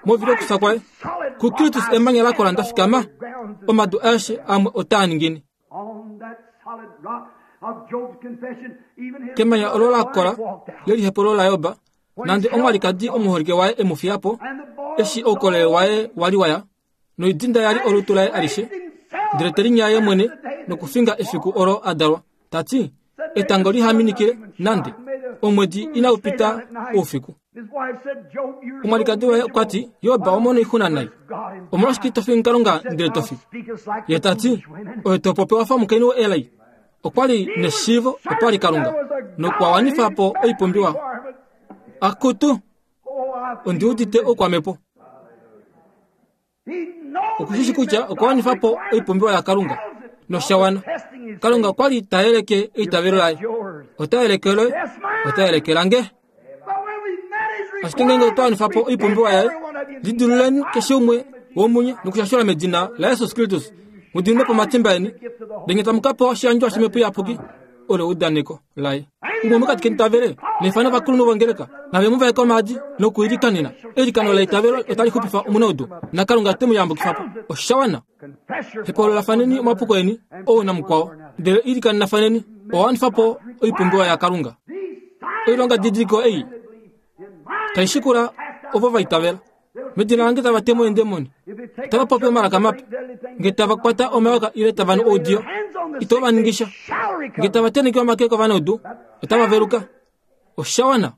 movili okufya kwaye, kuKristus emanya la kola nda fikama, omadu aeshe amwe otaa ningine. Kemanya olo la kola lelihepolo laJob, nande omwalikadi omuholike waye e mu fiya po, eshi oukolele waye wa li wa ya, noidinda ya li olutu laye alishe, ndele te linya ye mwene nokufinga efiku olo a dalwa, ta ti, Etango liha minikile nande, omwedi inau pita oufiku. Omwalikadi waye okwa ti, Job, owa mona oixuna nai. Omolwashike ito fingi Kalunga ndele to fi? Ye ta ti, Oye to popi wa fa omukainhu woelai. Okwa li neshiivo opo a li Kalunga, nokwa wanifa po oipumbiwa. Akutu, ondi udite oukwamhepo. Oku shi shi kutya okwa wanifa po oipumbiwa yaKalunga nosha wana. Kalunga okwa li ta yeleke eitavelo laye. Ota yeleke loye, ota yeleke lange. Ashike ngeenge otwa wanifa po oipumbiwa yaye, lidiluleni keshe umwe womunye nokushashula medina laJesus Kristus, mu diminwe po omatimba eni, ndele tamu ka pewa oshiyandjwa shOmhepo Iyapuki. Olo eudaneko laye. Umwe mokati keni ta vele, nefano ovakulunhu vongeleka nave mu vaeke omaadi nokuilikanena. Eilikano leitavelo otali xupifa omunaudu, naKalunga te mu yambukifa po. Osha wana. Hepololafaneni omapuko eni, ou namukwao, ndele ilikaninafaneni. Owa wanifa po oipumbiwa yaKalunga. Oilonga didiliko ei tai shikula ovo va itavela. Medina lange tava te mo eendemoni, otava popi omalaka mape, nge tava kwata omayoka ile tava nu oudiyo, ito va ningisha. Nge tava tenheke omake kovanaudu, otava veluka. Osha wana.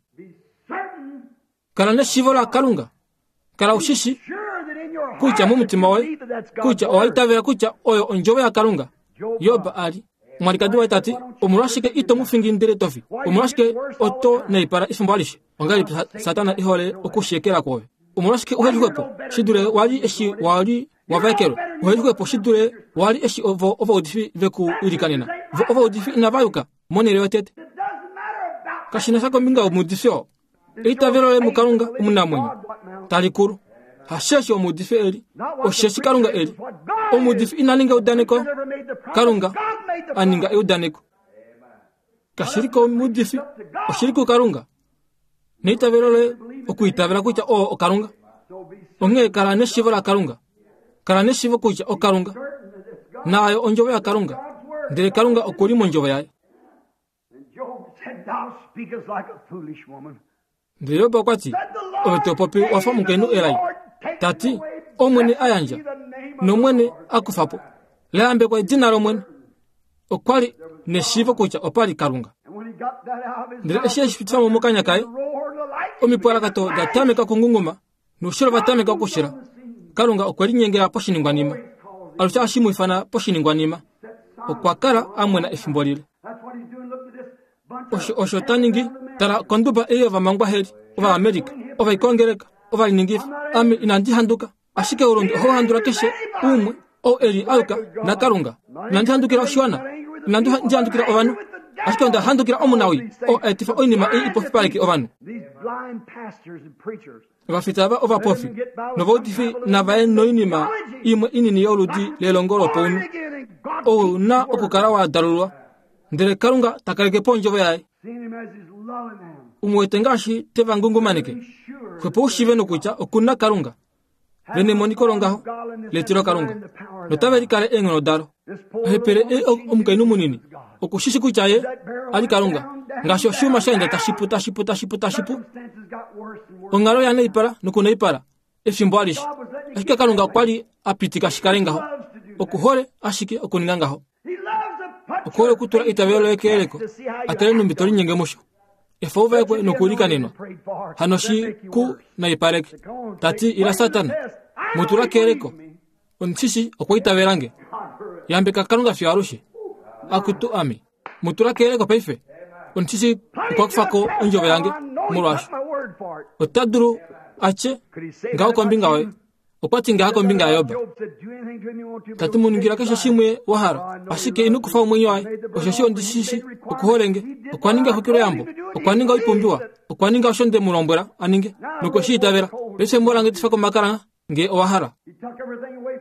Kala neshiivo laKalunga. Kala u shi shi. Kutya momutima woye, kutya owa itavela kutya oyo ondjovo yaKalunga. Job a li. Omwalikadi waye ta ti, Omolwashike ito mu fingi ndele to fi? Omolwashike oto naipala efimbo alishe? Ongahelipi Satana e hole okushekela kwoove? Omolwashike uhe li xwepo shi dule wa li eshi wa li wa vaekelwa? Uhe li xwepo shi dule wa li eshi ovo ovaudifi ve ku ilikanena? Vo ovaudifi inava yuka monhele yotete. Kashi na sha kombinga yomuudifi oo. Eitavelo loye muKalunga omunamwenyo tali kulu. Hasheshi omuudifi e li, osheshi Kalunga e li. Omuudifi ina ninga eudaneko, Kalunga a ninga eudaneko. Kashi li komuudifi, oshi li kuKalunga. Neitavelo loye okuitavela kutya oo oKalunga. Onghee kala neshiivo laKalunga. Kala neshiivo kutya oKalunga. Naayo ondjovo yaKalunga. Ndele Kalunga oku li mondjovo yaye. Ndele Job okwa ti, Ove to popi wa fa omukainhu elai, ta ti, Omwene a yandja, nOmwene a kufa po. La yambekwa edina lOmwene. Okwa li neshiivo kutya opa li Kalunga. Ndele eshi e shi pitifa mo mokanya kaye, omipwalakato da tameka okungunguma noushilo va tameka okushila. Kalunga okwe linyengela poshiningwanima. Alushe ohashi mu ifana poshiningwanima. Okwa kala a mwena efimbo lile. Osho osho ta ningi. Tala konduba ei yovamangwaheli, Ovaamerica, ovaikongeleka, ovaliningifi. Ame inandi handuka, ashike oulunde ohau handula keshe umwe ou e li aluka naKalunga. Inandi handukila oshiwana, inandi handukila ovanhu, ashike onda handukila omunawii oo a etifa oinima ei ipofipaleke ovanhu. Ovafita ava ovapofi novaudifi nava ye noinima imwe inini yoludi lelongo lopaunhu. Ou na okukala wa dalulwa, ndele Kalunga ta kaleke po ondjovo yaye. U mu wete ngaashi te va ngungumaneke, xwepo u shiive nokutya oku na Kalunga. Ve nemoniko longaho letilokalunga, notave likale eenghono dalo. Ohepele ei omukainhu munini oku shi shi kutya ye a li Kalunga, ngaashi oshiyuma sha enda tashi pu tashi pu tashi pu tashi pu. Onghalo ya naipala nokunaipala efimbo alishe, ashike Kalunga okwa li a pitika shi kale ngaho. Oku hole ashike okuninga ngaho. Oku hole okutula eitavelo loye keyeleko, a tale nhumbi to linyenge musho. Efa u vaekwe nokuilikanenwa. Hano shi ku naipaleke. Ta ti, Ila Satana, mu tula keyeleko. Omushishi okwa itavela nge. Yambeka Kalunga fiyo alushe. Akutu ame. Mu tula keyeleko paife. Omushishi okwa kufa ko ondjovo yange molwaasho. Ota dulu a tye ngaho kombinga yoye. Okwa ti ngaha kombinga yaJob, Ta ti mu ningila keshe shimwe wa hala, ashike ino kufa omwenyo waye, osheshi ondi shi shii oku hole nge. Okwa ninga exwikiloyambo, okwa ninga oipumbiwa, okwa ninga osho nde mu lombwela a ninge, nokwe shi itavela. Paife mu langetifa komakala nge owa hala.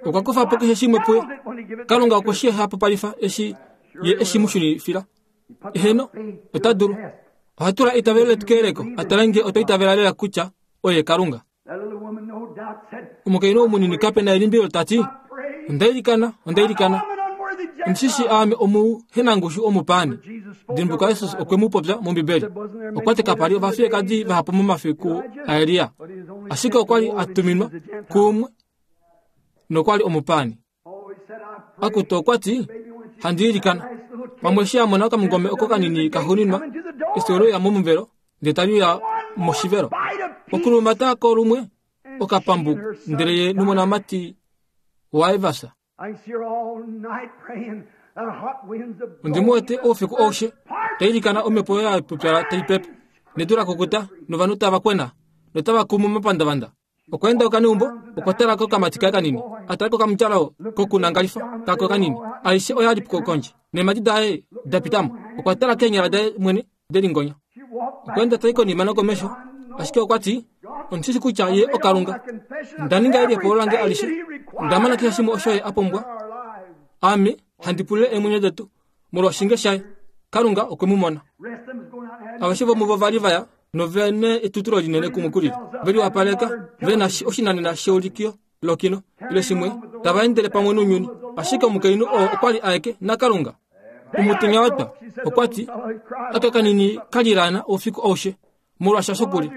Okwa kufa po keshe shimwe puye. Kalunga okwe shi hapupalifa eshi ye e shi mu shunifila. Eheno, ota dulu. Oha tula eitavelo letu keyeleko, a tale nge otwa itavela lela kutya oye Kalunga. Omukainhu ou munini kape na elimbilo ta ti, Onda ilikana, onda ilikana. Omushishi aame omuhenangushu omupaani. Dimbuka Jesus okwe mu popya mOmbibeli. Okwa ti kapa li ovafiyekadi vahapu momafiku aElia, ashike okwa li a tuminwa kuumwe nokwa li omupaani. Akutu okwa ti, Handi ilikana. Pamwe eshi a mona okamungome oko kanini ka xuninwa, eshi ole uya momuvelo, ndele tali uya moshivelo. Okulumata ko lumwe okapambu, ndele ye nomonamati waye va fya. Ondi mu wete oufiku aushe ta ilikana omhepo ya pupyala tai pepe, nedu la kukuta, novanhu tava kwena notava kumu momapandavanda. Okwa enda okaneumbo, okwa tala kokamati kaye kanini, a tala kokamudjalo kokunangalifa kako kanini. Aishe oya li kondje, neemhadi daye da pita mo. Okwa tala keenyala daye mwene de lingonya. Okwa enda tai konima nokomesho, ashike okwa ti, Ondi shi kutya ye oKalunga. Nda ninga eliyepolo lange alishe. Nda mana keshe shimwe osho ye a pumbwa. Ame handi pulile eemwenyo detu molwoshinge shaye. Kalunga okwe mu mona. Aveshe vomuvo va li va ya nove na etutulo linene kumwe kulili, ve liwapaleka, ve na oshinanena sheulikio lokino ile shimwe, tava endele pamwe nounyuni. Ashike omukainhu oo okwa li aeke naKalunga. Omutenya wa twa, okwa ti, Aka kanini ka lilaana oufiku aushe, molwaashi osho ku li.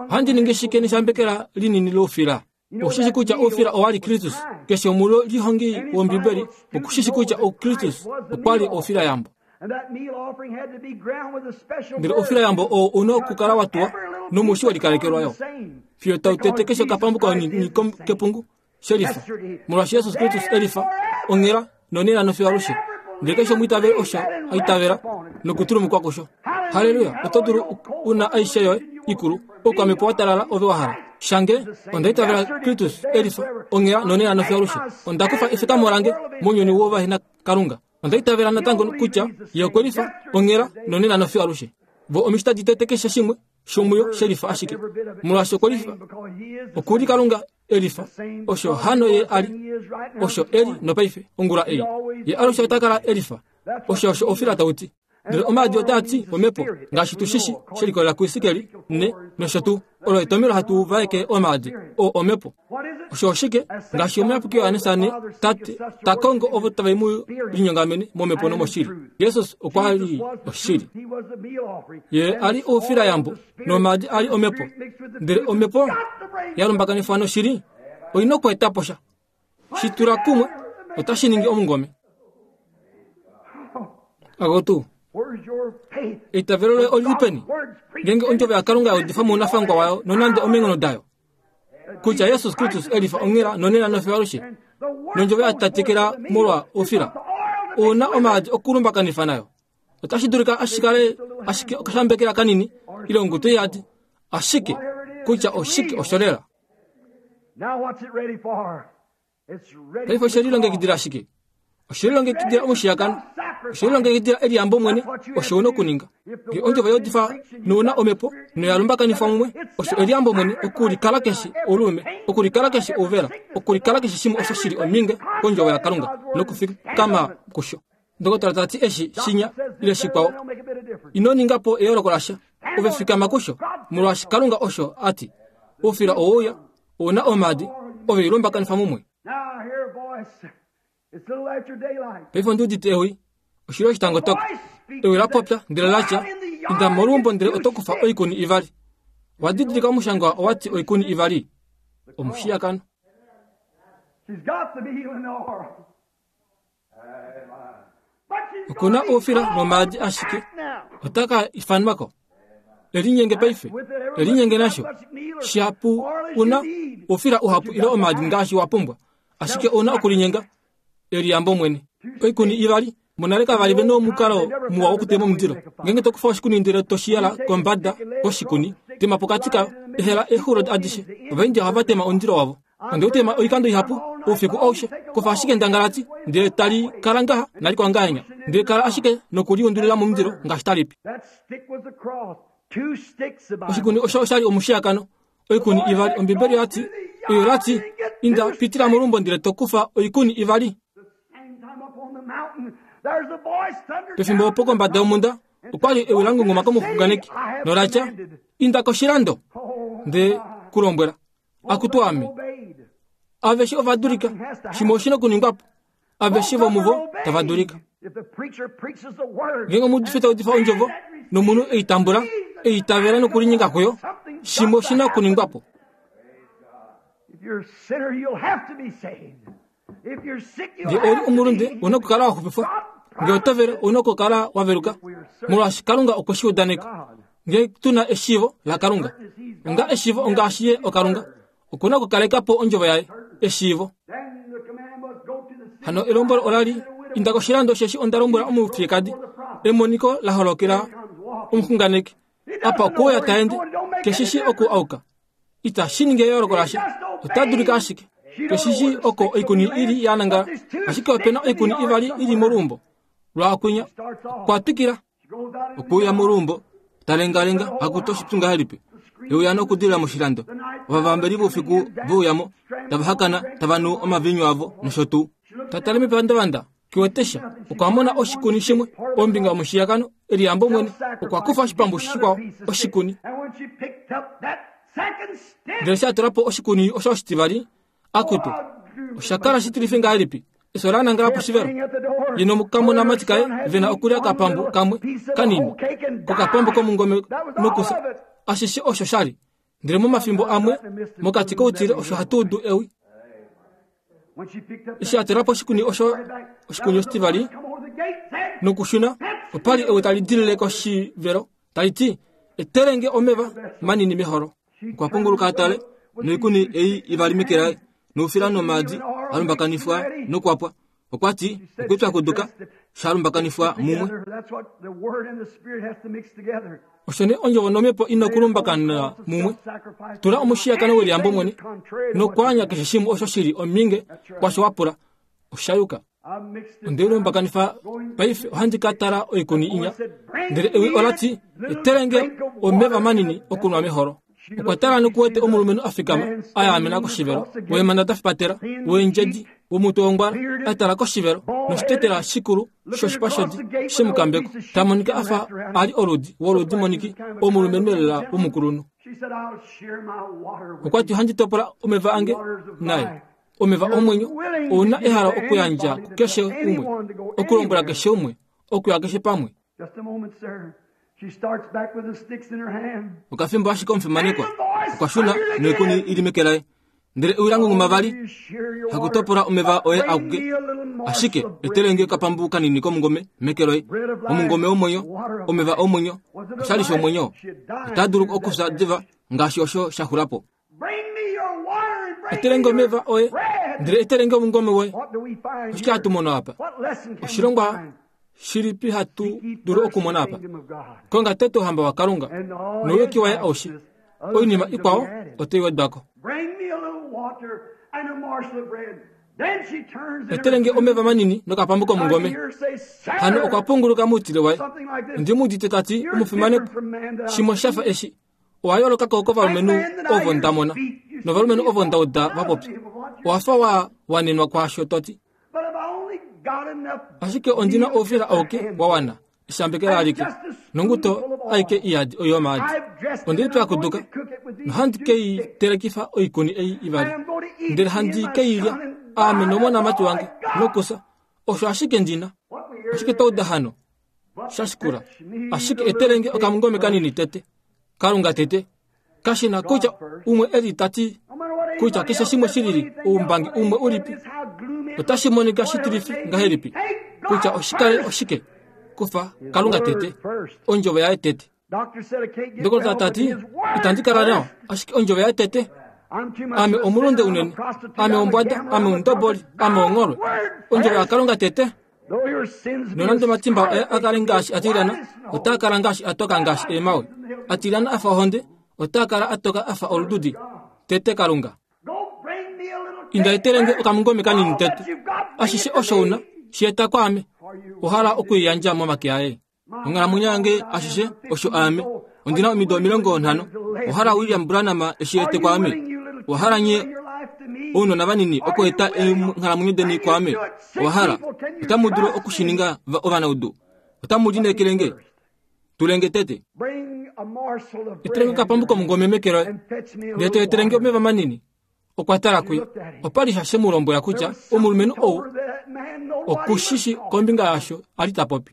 Ohandi ningi shike neshambekela linini loufila? Oku shi kutya oufila owa li Kristus. Keshe omulihongi wOmbibeli oku shi kutya Kristus okwa li oufilayambo. Ndele oufilayambo oo u na okukala wa tuwa nomushi we likalekelwa yo, fiyo tau tete keshe okapambu kanini kepungu. Shelifa, molwaashi Jesus Kristus elifa, onghela, nonena nofiyo alushe. Ndele keshe omwiitaveli osho a itavela nokutulumukwa kusho. Halleluya! Oto dulu u na aishe yoye ikulu, oukwamhepo wa talala ove wa hala. Shange, onda itavela Kristus elifa, onghela, nonena nofiyo alushe. Onda kufa efikamo lange mounyuni wovahena Kalunga. Onda itavela natango kutya Ye okwe lifa, onghela, nonena nofiyo alushe. Vo omishita ditete keshe shimwe shomuyo shelifa ashike, molwaashi okwe lifa. Oku li Kalunga e lifa. Osho hano Ye a li. Osho e li nopaife, ongula ei. Ye alushe ota kala e lifa. Osho osho ofila tau ti. Ndele omaadi otaa ti omhepo, ngaashi tu shi shi, she likolelela kuIsikel ne nosho tuu. Olo etomhelo hatu vaeke omaadi oo omhepo. Osho oshike? Ngaashi omuyapuki Johannes ane, Tate ta kongo ovo tave mu linyongamene momhepo nomoshili. Jesus okwa li oshili. Ye a li oufilayambo nomaadi a li omhepo. Ndele omhepo ya lumbakanifwa noshili oi na okweeta po sha. Shi tula kumwe otashi ningi omungome. Agotu, eitavelo loye oli li peni? Ngeenge ondjovo yaKalunga ya udifa mounafangwa wayo nonande omeenghono dayo, kutya Jesus Kristus e lifa onghela nonena nofiyo alushe, nondjovo ya tatekela molwa oufila, ou na omaadi okulumbakanifa nayo. Otashi dulika ashikale ashike okashambekela kanini ile ongutu yadi, ashike kutya oshike osho lela. Paife oshe lilongekidila shike? Oshe lilongekidila omushiyakano. Oshe lilongekidila eliyambo mwene. Osho u na okuninga. Nge ondjovo ya udifa nouna omhepo noya lumbakanifwa mumwe, osho eliyambo mwene okulikala keshe oulume, okulikala keshe ouvela, okulikala keshe shimwe osho shi li ominge kondjovo yaKalunga nokufikama kusho. Ndokotola ta ti eshi, shinya, ile shikwao. Ino ninga po eyooloko lasha. Ove fikama kusho, molwaashi Kalunga osho a ti. Oufila oweuya, ou na omaadi, ove i lumbakanifa mumwe. Paife ondi udite ewi. Oshili oshitangotoka. Ewi la popya, ndele la tya, Inda moluumbo ndele oto kufa oikuni ivali. Wa didilika omushangwa owa ti oikuni ivali? Omushiyakano. Oku na oufila nomaadi ashike ota ka ifanwa ko. E linyenge paife, e linyenge nasho. Shihapu u na oufila uhapu ile omaadi ngaashi wa pumbwa, ashike ou na okulinyenga eliyambo mwene. Oikuni ivali monale kava li ve nomukalo muwa wokutema omundilo. Ngeenge to kufa oshikuni ndele to shi yala kombada koshikuni, tema pokati kayo, ehela eexulo adishe. Ovaindia ohava tema omundilo wavo. Onde u tema oikando ihapu oufiku aushe. Kufa ashike endangalati, ndele tali kala ngaha nalikwao ngahenya, ndele kala ashike nokuliundulila momundilo ngaashi tali pi. Oshikuni osho osha li omushiyakano, oikuni ivali. Ombibeli oya ti, oyo la ti, Inda, pitila moluumbo ndele to kufa oikuni ivali. Pefimbo opo kombada yomhunda okwa li ewi la ngunguma komuxunganeki nola tya, Inda koshilando, nde ku lombwela. Akutu ame! Aveshe ova dulika. Shimwe oshi na okuningwa po. Aveshe vomuvo tava dulika. Ngeenge omuudifi ta udifa ondjovo nomunhu e i tambula, e i itavela nokulinyenga kuyo, shimwe oshi na okuningwa po. Nge ou li omulunde, ou na okukala wa xupifwa. Nge oto vele, ou na okukala wa veluka, molwaashi Kalunga okwe shi udaneka. Nge tu na eshiivo laKalunga, onga eshiivo ongaashi Ye oKalunga, oku na okukaleka po ondjovo yaye, eshiivo. Hano elombwelo ola li, Inda koshilando, osheshi onda lombwela omufiyekadi, emoniko la holokela omuxunganeki. Apa okuuya ta ende, keshi shi oku auka. Itashi ningi eyooloko lasha. Ota dulika ashike. Keshi shi oko oikuni i li ya nangala, ashike ope na oikuni ivali i li moluumbo lwaakwinya. Okwa twikila. Okuuya moluumbo, ta lengalenga, akutu oshipyu ngahelipi. E uya nokudilila moshilando. Ovavambeli voufiku ve uya mo, tava hakana, tava nu omaviinyu avo nosho tuu. Ta tale mepandavanda, ke wete sha. Okwa mona oshikuni shimwe ombinga yomushiyakano, eliyambo mwene. Okwa kufa oshipambu shikwao, oshikuni. Ndele eshi a tula po oshikuni osho oshitivali, Akutu, osha kala shitilifi ngahelipi! Efyo la nangala poshivelo. Ye nokamonamati kaye ve na okulya okapambu kamwe kanini kokapambu komungome nokufya. Ashishe osho sha li. Ndele momafimbo amwe, mokati koutile osho hatu udu ewi. Eshi a tula po oshikuni osho, oshikuni oshitivali, nokushuna, opa li ewi tali dilile koshivelo, tali ti, Etele nge omeva manini meholo. Okwa punguluka a tale, noikuni ei ivali meke laye. Noufila nomaadi a lumbakanifwa nokwapwa. Okwa ti, Okwipyakuduka sha lumbakanifwa mumwe. Osho nee ondjovo nomhepo ina okulumbakanwa mumwe. Tula omushiyakano weliyambo mwene nokwaanya keshe shimwe osho shi li ominge kwasho wa pula. Osha yuka. Onde lumbakanifa paife ohandi ka tala oikuni inya. Ndele ewi ola ti, Etele nge omeva manini okunwa meholo. Okwa tala noku wete omulumenhu a fikama a yaamena koshivelo, weemhanda da fipatela, weendjedi, womutwe wongwala, a tala koshivelo, noshitetela shikulu shoshipa shodi she mu kambekwa, ta monika a fa a li oludi woludi moniki omulumenhu elela womukulunhu. Okwa ti, Ohandi topola omeva ange naye. Omeva omwenyo, ou na ehalo okuyandja kukeshe umwe, okulombwela keshe umwe, okuya keshe pamwe. Okafimbo ashike omufimanekwa okwa shuna noikuni i li meke laye, ndele ewi la ngunguma vali, Hakutopola omeva oye akuke, ashike etele nge okapambu kanini komungome meke loye, omungome womwenyo, omeva omwenyo, oshali shomwenyo. Ota dulu okufya diva ngaashi osho sha xula po. Etele nge omeva oye, ndele etele nge omungome woye. Oshike hatu mono apa? Oshilongwa shilipi hatu dulu okumona apa? Konga tete ouhamba waKalunga nouyuki waye aushe, oinima ikwao otai wedwa ko. Etele nge omeva manini nokapambu komungome. Hano okwa punguluka moutile waye. Ondi mu udite ta ti, Omufimanekwa, shimwe sha fa eshi. Owa yooloka ko kovalumenhu ovo nda mona novalumenhu ovo nda uda va popya. Owa fa wa wanenwa kwaasho to ti. Ashike ondi na oufila auke wa wana, eshambekela alike, nonguto aike iyadi oyomaadi. Onde lipyakuduka, nohandi ke i telekifa oikuni ei ivali, ndele handi ke i lya, aame nomonamati wange, nokufya. Osho ashike ndi na. Oshike twa uda hano? Sha shikula. Ashike etele nge okamungome kanini tete. Kalunga tete. Kashi na kutya umwe e li ta ti kutya keshe shimwe shi lili oumbangi umwe ulipi. Otashi monika shitilifi ngahelipi kutya oshikale oshike kufa Kalunga tete, ondjovo yaye tete. Ndokotola ta ti, Itandi kala nawa, ashike ondjovo yaye tete. Ame omulunde unene, ame ombwada, ame omundoboli, ame ongholwe. Ondjovo yaKalunga tete. Nonande omatimba oye a kale ngaashi a tilyana, otaa kala ngaashi a toka ngaashi eemhawe. A tilyana a fa ohonde, otaa kala a toka a fa olududi. Tete Kalunga. Inda etele nge okamungome kanini tete. Ashishe osho u na, shi eta kwaame. Owa hala oku i yandja momake aye. Onghalamwenyo yange ashishe osho aame. Ondi na omido 50. Owa hala William Branham eshi ete kwaame? Owa hala nye ounona vanini okueta eenghalamwenyo deni kwaame? Owa hala? Otamu dulu oku shi ninga ovanaudu? Otamu lineekele nge? Tulenge tete. Etele nge okapambu komungome meke loye, ndele to etele nge omeva manini. Okwa tala kuye. Opa li sha she mu lombwela kutya omulumenhu ou oku shi shi kombinga yaasho a li ta popi.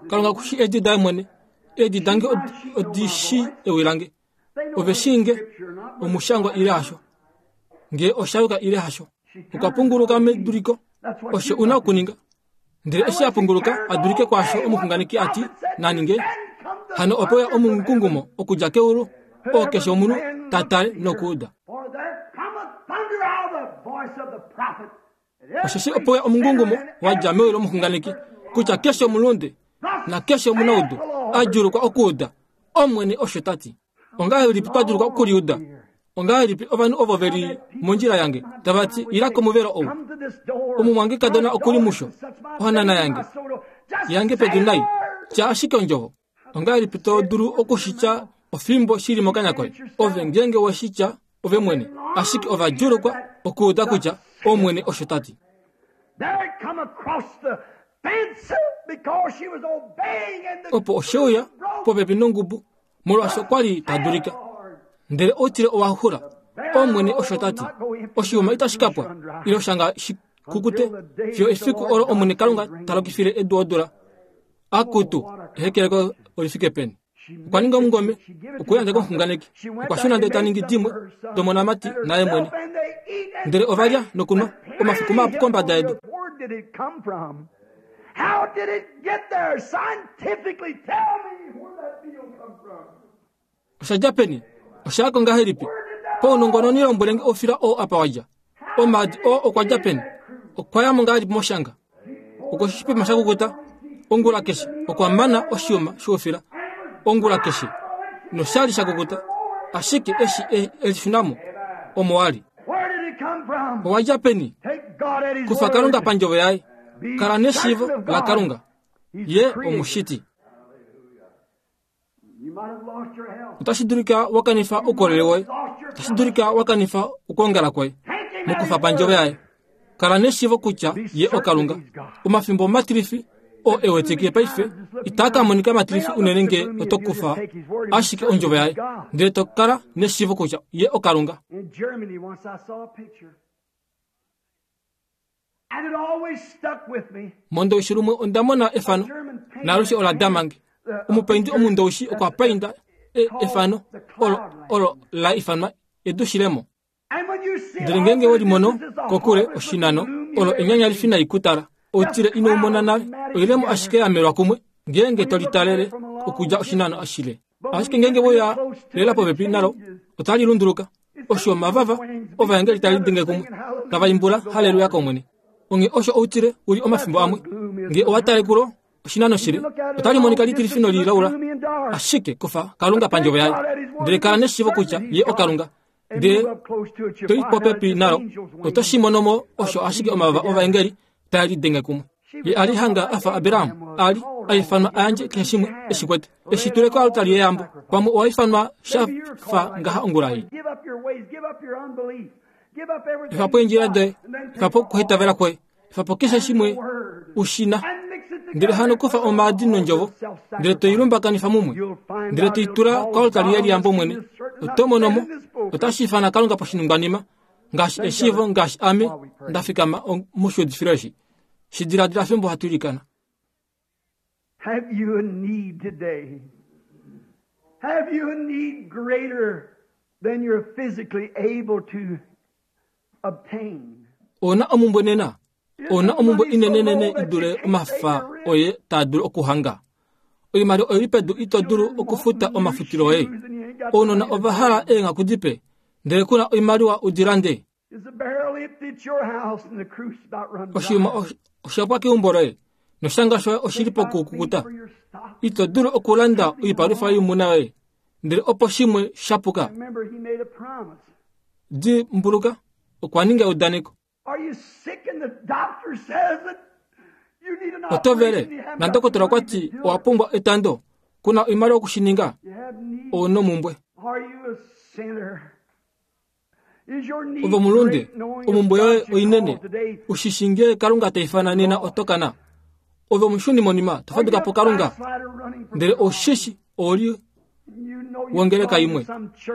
Kalunga oku shii eedi daye mwene. Eedi dange odi shii ewi lange. Ove shii nge omushangwa ile hasho, nge osha yuka ile hasho. Okwa punguluka meduliko. Osho u na okuninga. Ndele eshi a punguluka a dulike kwaasho omuxunganeki a ti na ninge, hano ope uya omungungumo okudja keulu, oo keshe omunhu ta tale nokuuda. Osheshi ope uya omungungumo wa dja mewi lomuxunganeki, kutya keshe omulunde nakeshe omunaudu a djuulukwa okuuda, Omwene osho ta ti. Ongahelipi twa duluka okuliuda? Ongahelipi ovanhu ovo ve li mondjila yange tava ti, Ila komuvelo ou. Omumwangekadona oku li musho, ohanana yange, yange pedu nai. Tya ashike ondjovo. Ongahelipi to dulu oku shi tya ofimbo shi li mokanya koye? Ove ngeenge we shi tya ove mwene, ashike ova djuulukwa okuuda kutya Omwene osho ta ti. Opo oshe uya popepi nongubu, molwaashi okwa li ta dulika. Ndele outile owa xula. Omwene osho ta ti, Oshiyuma itashi ka pwa, ile oshanga shi kukute, fiyo efiku olo Omwene Kalunga ta lokifile edu odula. Akutu, ehekeleko oli fike peni! Okwa ninga omungome, okwe u yandja komuxunganeki. Okwa shuna ndele ta ningi dimwe domonamati naye mwene. Ndele ova lya nokunwa omafiku mahapu kombada yedu. How did it get there? Scientifically, tell me where that meal come from. Osha dja peni? Osha ya ko ngahelipi? Paunongononi lombwele nge oufila oo apa wa dja. Omaadi oo okwa dja peni? Okwa ya mo ngahelipi moshanga? Okwe shi pima sha kukuta ongula keshe. Okwa mana oshiyuma shoufila ongula keshe, noshali sha kukuta. Ashike eshi e lishuna mo, omo wa li. Owa dja peni? Kufa Kalunga pandjovo yaye. Kala neshiivo laKalunga. Ye omushiti. Otashi dulika wa kanifa oukolele woye. Otashi dulika wa kanifa okwoongala kwoye. Mokufa pandjovo yaye. Kala neshiivo kutya ye oKalunga. Omafimbo omatilifi oo e wetikile paife itaa ka monika matilifi unene nge oto kufa ashike ondjovo yaye, ndele to kala neshiivo kutya ye oKalunga. Mondoushi lumwe onda mona efano, naalushe ola dama nge. Omupaindi omundoushi okwa painda e, efano olo, olo la ifanwa edu shilemo. Ndele ngeenge we li mono kokule oshinano, olo enyanya lifi nai kutala. Outile ino u mona nale, oilemo ashike ya melwa kumwe, ngeenge to litalele okudja oshinano shile. Ashike ngeenge we ya lela popepi nalo, otali lunduluka. Osho omavava ovaengeli tali denge kumwe, tava imbula haleluya kOmwene. Onghee osho outile u li omafimbo amwe. Nge owa tale kulo oshinano shile, otali monika litilifi nolilaula. Ashike kufa Kalunga pandjovo yaye, ndele kala neshiivo kutya ye oKalunga. Ndele to i popepi nalo, oto shi mono mo osho ashike omavava ovaengeli taa lidenge kumwe. Ye a li hanga a fa Abraham, a li a ifanwa a yandje keshe shimwe e shi kwete, e shi tule koaltari yeyambo. Pamwe owa ifanwa sha fa ngaha ongula ei. Efa po eendjila doye, efa po okuhitavela kwoye, efa po keshe shimwe u shi na. Ndele hano kufa omaadi nondjovo, ndele to i lumbakanifa mumwe, ndele to i tula koaltari yeliyambo mwene, oto mono mo, otashi ifana Kalunga poshiningwanima, ngaashi eshiivo ngaashi ame nda fikama moshiudifilo eshi. Shi diladila fimbo hatu ilikana. Have you a need today? Have you a need greater than you're physically able to obtain? Ouna omumbwe nena? Ouna omumbwe inenenene i dule omafa oye taa dulu okuhanga? Oimaliwa oi li pedu ito dulu okufuta omafutilo oye. Ounona ova hala eenghaku dipe, ndele ku na oimaliwa u di lande. Oshiyuma osha pwa keumbo loye, noshanga shoye oshi li pokukukuta. Ito dulu okulanda oipalwifa yoimuna yoye, ndele opo shimwe sha puka. Dimbuluka, okwa ninga eudaneko. Oto vele, nandokotola okwa ti owa pumbwa etando, ku na oimaliwa oku shi ninga. Ou nomumbwe. Ove omulunde, omumbwe yoye oinene. U shi shi ngee Kalunga ta ifana nena oto kana. Ove omushuni monima, to faduka po Kalunga. Ndele ou shi shi ou li wongeleka imwe,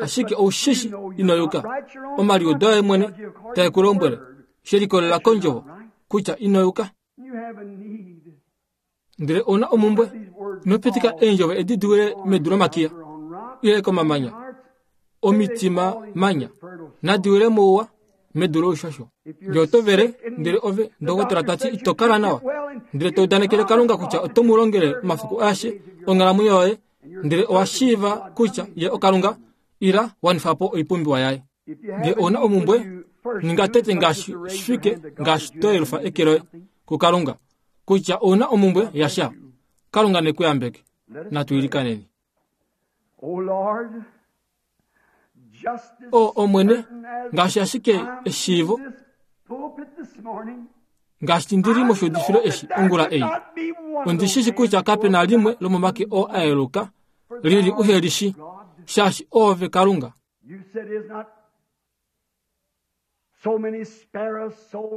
ashike ou shi shi ino yuka. Omaliudo aye mwene tae ku lombwele, she likolelela kondjovo, kutya ino yuka. Ndele ou na omumbwe, ino pitika eendjovo edi di wile medu lomakiya, ile komamanya, omitima manya, nadi wile mouwa medu loushosho. Ngee oto vele, ndele ove, ndokotola ta ti ito kala nawa, ndele to udanekele Kalunga kutya oto mu longele omafiku aeshe onghalamwenyo yoye, ndele owa shiiva kutya ye oKalunga, ila wanifa po oipumbiwa yaye. Ngee ou na omumbwe, ninga tete ngaashi shi fike ngaashi to yelufa eke loye kuKalunga, kutya ou na omumbwe yasha. Kalunga ne ku yambeke. Natu ilikaneni. O Omwene, ngaashi ashike eshiivo, ngaashi ndi li moshiudifilo eshi ongula ei, ondi shi shi kutya kape na limwe lomomake oo a yeluka li li uhe li shi, shaashi Oove Kalunga.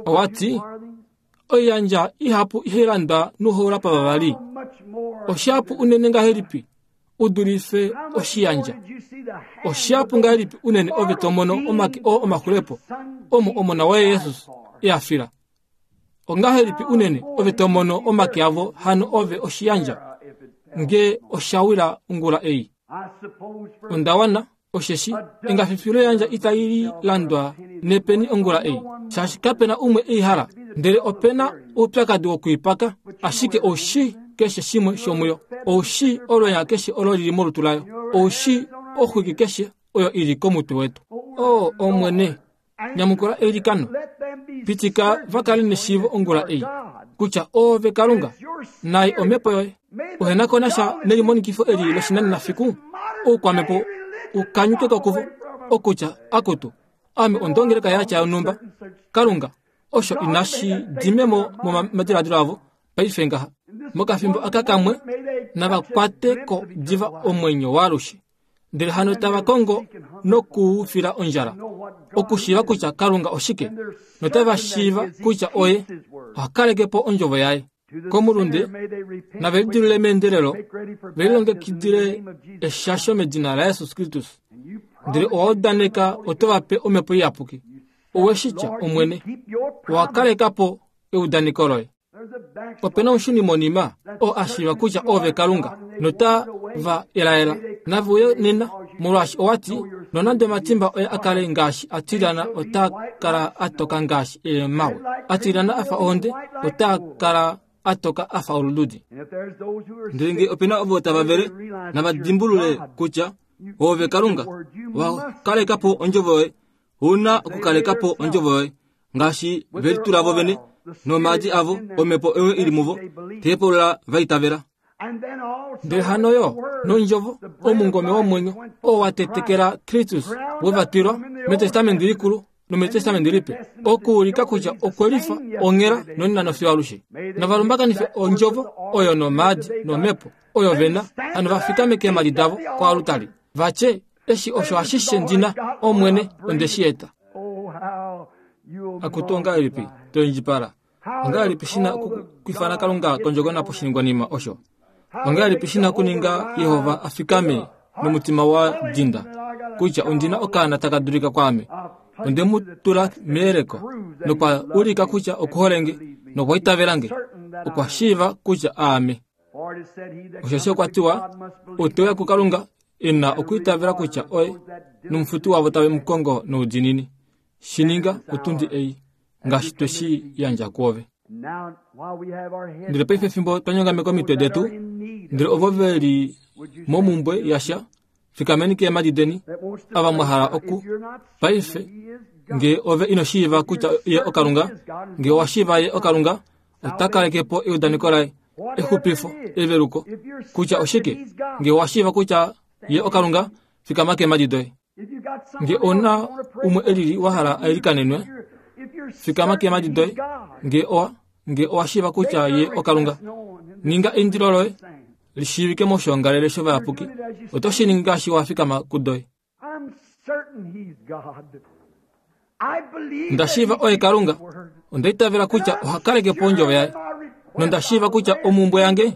Owa ti, Oiyandja ihapu ihai landwa nouhola pavavali. Oshihapu unene ngahelipi u dulife oshiyandja? Oshihapu ngahelipi unene ove to mono omake oo omaxulepo omo Omona waye Jesus e a fila? Ongahelipi unene ove to mono omake avo hano ove oshiyandja nge osha wila ongula ei? Onda wana osheshi engafifi loyandja itai landwa nepeni ongula ei, shaashi kape na umwe ei hala. Ndele ope na oupyakadi wokuipaka, ashike ou shii keshe shimwe shomuyo. Ou shii olwenya keshe olo lili molutu layo. Ou shii oxwiki keshe oyo i li komutwe wetu. O Omwene, nyamukula eilikano. Pitika va kale neshiivo ongula ei kutya oove Kalunga, nai omhepo yoye. Uhe ko nasha nelimonikifo eli loshinanena fiku, oukwamhepo u kanyuke ko kuvo, okutya, Akutu, ame ondongeleka ya tya yonhumba. Kalunga, osho inashi dime mo momadiladilo avo paife ngaha. Mokafimbo aka kamwe, nava kwate ko diva omwenyo waalushe. Ndele hano tava kongo nokuufila ondjala, okushiiva kutya Kalunga oshike, notava shiiva kutya oye oha kaleke po ondjovo yaye. Komulunde nave lidilule meendelelo, ve lilongekidile eshasho medina laJesus Kristus. Ndele owa udaneka oto va pe Omhepo Iyapuki. Owe shi tya, Omwene, owa kaleka po eudaneko loye. Ope na omushunimonima oo a shiiva kutya oove Kalunga, nota va elaela. Nave uye nena, molwaashi owa ti, nonande omatimba oye a kale ngaashi a tilyana otaa kala a toka ngaashi eemhawe, a tilyana a fa ohonde, otaa kala a toka a fa olududi. Ndele ngee ope na ovo tava vele, nava dimbulule kutya oove Kalunga, wa kaleka po ondjovo yoye. Ou na okukaleka po ondjovo yoye. Ngaashi ve litula vo vene nomaadi avo, omhepo oyo i li muvo, teepolola va itavela. Ndele hano yo nondjovo, omungome womwenyo, oo wa tetekela Kristus, we va twilwa mEtestamenti Likulu nomEtestamenti Lipe, okuulika kutya okwe lifa onghela nonena nofiyo alushe. Nava lumbakanife ondjovo oyo nomaadi nomhepo oyo ve na, hano va fikame keemhadi davo koalutari, va tye, Eshi osho ashishe ndi na, Omwene, onde shi eta. Akutu ongahelipi to indjipala? Ongahelipi shi na okwiifana Kalunga kondjokona poshiningwanima osho? Ongahelipi shi na okuninga Jehova a fikame nomutima wa dinda kutya ondi na okaana taka dulika kwaame? Onde mu tula meyeleko nokwa ulika kutya oku hole nge nokwa itavela nge. Okwa shiiva kutya aame. Osheshi okwa tiwa, Ou te uya kuKalunga e na okwiitavela kutya oye nomufuti wavo tave mu kongo noudiinini. Shi ninga otundi ei, ngaashi twe shi yandja kuove. Ndele paife fimbo twa nyongameka omitwe detu, ndele ovo ve li momumbwe yasha, fikameni keemhadi deni, ava mwa hala oku. Paife, nge ove ino shiiva kutya ye oKalunga, nge owa shiiva ye oKalunga, ota kaleke po eudaneko laye, exupifo, eveluko. Kutya oshike? Nge owa shiiva kutya ye oKalunga, fikama keemhadi doye. Nge ou na umwe e lili wa hala a ilikanenwe, fikama keemhadi doye. Nge owa, nge owa shiiva kutya ye oKalunga, ninga eindilo loye li shiivike moshoongalele shovayapuki. Oto shi ningi ngaashi wa fikama kudoye. Onda shiiva oye Kalunga. Onda itavela kutya oha kaleke po ondjovo yaye. Nonda shiiva kutya omumbwe yange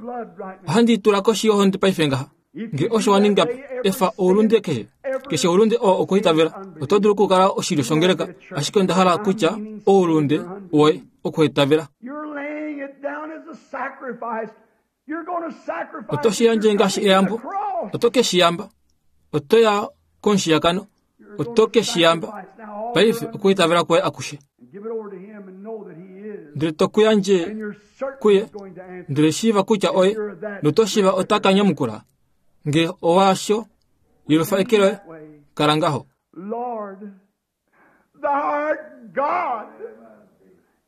ohandi i tula koshi yohonde paife ngaha. Nge osho wa ninga po, efa oulunde keshe. Keshe oulunde oo okuitavela. Oto dulu okukala oshilyo shongeleka, ashike onda hala kutya oulunde woye okuitavela. Oto shi yandje ngaashi eyambo. Oto ke shi yamba. Oto ya komushiyakano. Oto ke shi yamba. Paife okuitavela kwoye akushe. Ndele to ku yandje kuye, ndele shiiva kutya oye, noto shiiva ota ka nyamukula. Nge owaasho, yelufa eke loye, kala ngaho. Lord, thou art God.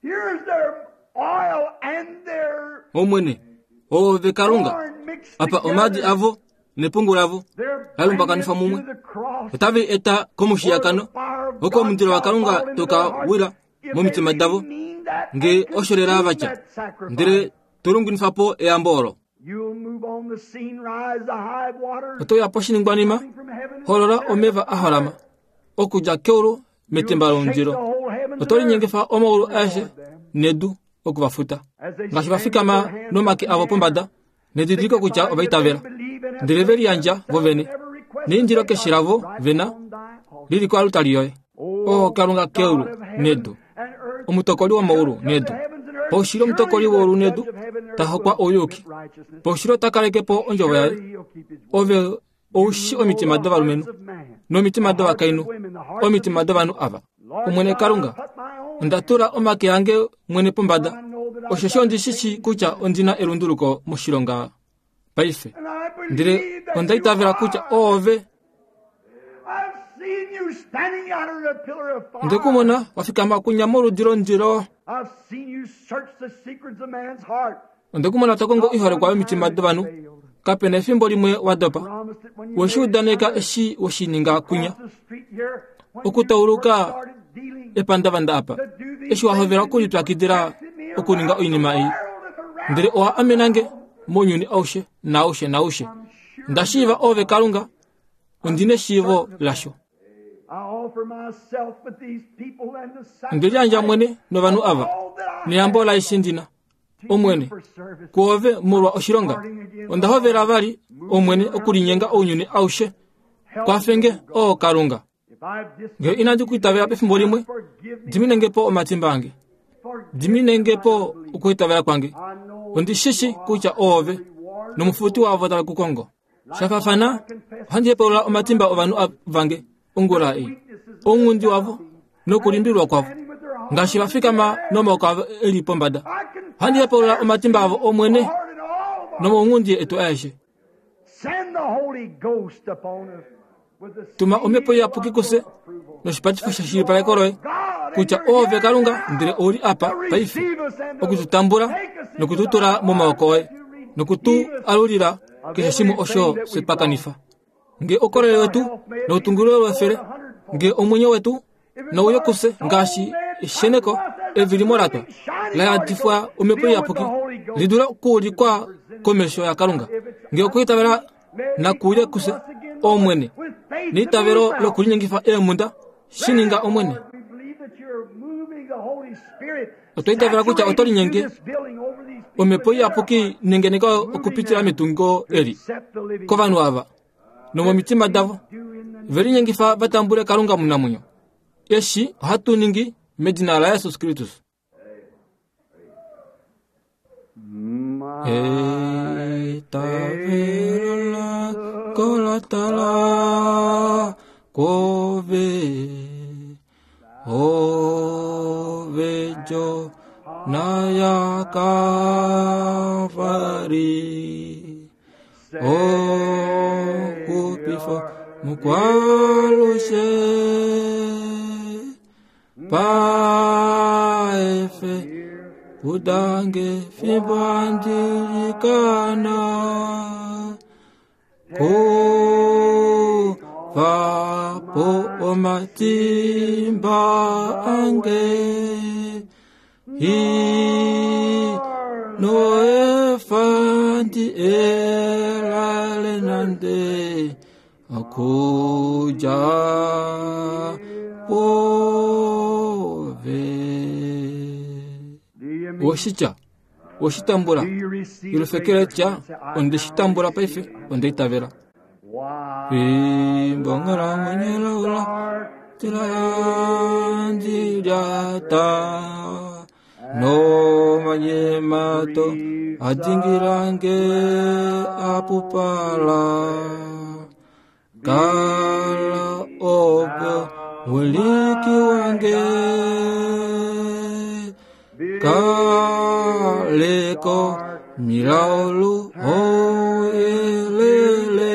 Here's their oil and their Omwene, oove Kalunga, corn mixed apa omaadi together. avo nepungu lavo They're la lumbakanifwa bringing mumwe. it to the cross Otave i eta komushiyakano, where the fire of oko God omundilo shall waKalunga fall into toka their hearts wila if they momitima really davo, mean that nge and osho lela consume va tya, that sacrifice. ndele to lungwinifa po eyambo olo. You'll move on the scene, rise the high waters Oto ya poshiningwanima, coming from heaven and holola tear omeva a holama okudja keulu metemba You'll shake lomundilo. the whole heavens Oto and earth linyengifa omaulu to aeshe reward them. nedu oku va futa. As they Ngaashi va stand with fikama their hands nomake up in avo the air, pombada, nedidiliko kutya signifying ova that they itavela. believe and have Ndele ve placed liyandja themselves vo vene. in every request that Neindilo they keshe got lavo right ve na, on thy altar. lili koalutali yoye. O O Kalunga God keulu of heaven nedu, and earth, omutokoli womaulu judge of the nedu. heavens and earth, Paushili omutokoli surely the woulu judge nedu, of heaven and ta earth hokwa will ouyuki. commit righteousness. Paushili ota kaleke po ondjovo yaye. Surely he'll keep his word. Ove ou shi You know omitima the dovalumenhu hearts of man, nomitima the hearts of dovakainhu, women, the hearts of omitima these dovanhu people. ava. Lord Omwene God, I Kalunga, put my own onda hand tula omake ange mwene pombada, I know that I've osheshi got ondi a shi shii change kutya ondi na elunduluko moshilonga paife. And I Ndele believe that onda you itavela kutya are. oove I've seen you Onde ku mona wa fikama kunya moludi lomundilo. Onde ku mona to kongo oiholekwa yomitima dovanhu. Kape na efimbo limwe wa dopa. We shi udaneka eshi we shi ninga kunya. Okutauluka epandavanda apa, eshi wa hovela okulipyakidila okuninga oinima ei. Ndele owa amena nge mounyuni aushe naaushe naaushe. Nda shiiva Oove Kalunga, ondi neshiivo lasho. Onde liyandja mwene novanhu ava, neyambo laaishe ndi na. Omwene, kuove molwa oshilonga. Onda hovela vali, Omwene, okulinyenga ounyuni aushe. Kwafe nge, O Kalunga. Ngee inandi ku itavela pefimbo limwe, dimine nge po omatimba ange. Dimine nge po okuitavela kwange. Ondi shi shi kutya oove nomufuti waavo tave ku kongo. Sha faafana, ohandi hepaulula omatimba ovanhu vange ongula ei, ounghundi wavo nokulimbililwa kwavo, ngaashi va fikama nomaoko avo e li pombada. Ohandi hepaulula omatimba avo, Omwene, nomaunghundi etu aeshe. Tuma Omhepo Iyapuki kufye noshipatifo sheshilipaleko loye kutya Oove Kalunga ndele ou li apa paife oku tu tambula noku tu tula momaoko oye noku tu alulila keshe shimwe osho fye twa kanifa. Nge oukolele wetu noutungililo wefele, nge omwenyo wetu nouye kufye ngaashi esheneko evilimo la twa la yadifwa Omhepo Iyapuki li dule okuulikwa komesho yaKalunga. Nge okwiitavela nakuuye kufye, Omwene, neitavelo lokulinyengifa eemhunda, shi ninga, Omwene. Otwa itavela kutya oto linyenge Omhepo Iyapuki nengeneka okupitila metungo eli kovanhu ava nomomitima davo ve linyengifa va tambule Kalunga omunamwenyo. Eshi ohatu ningi medina laJesus Kristus. Eitavelo lako la tala kwoove, ove Jona yaKalvari, okupifa mukwalushe. Paife udange fimbo andilikana kuvapo omatimba ange ino efa ndi elale nande okudja pwoove. Oshitya oshitambula ilufekele tya onde shi tambula paife onde itavela. Fimbo onghalamwenyo laula tila yandi lyata nomanyemato adingilange apupala kala ove muliki wange kaleko milaulu oyelele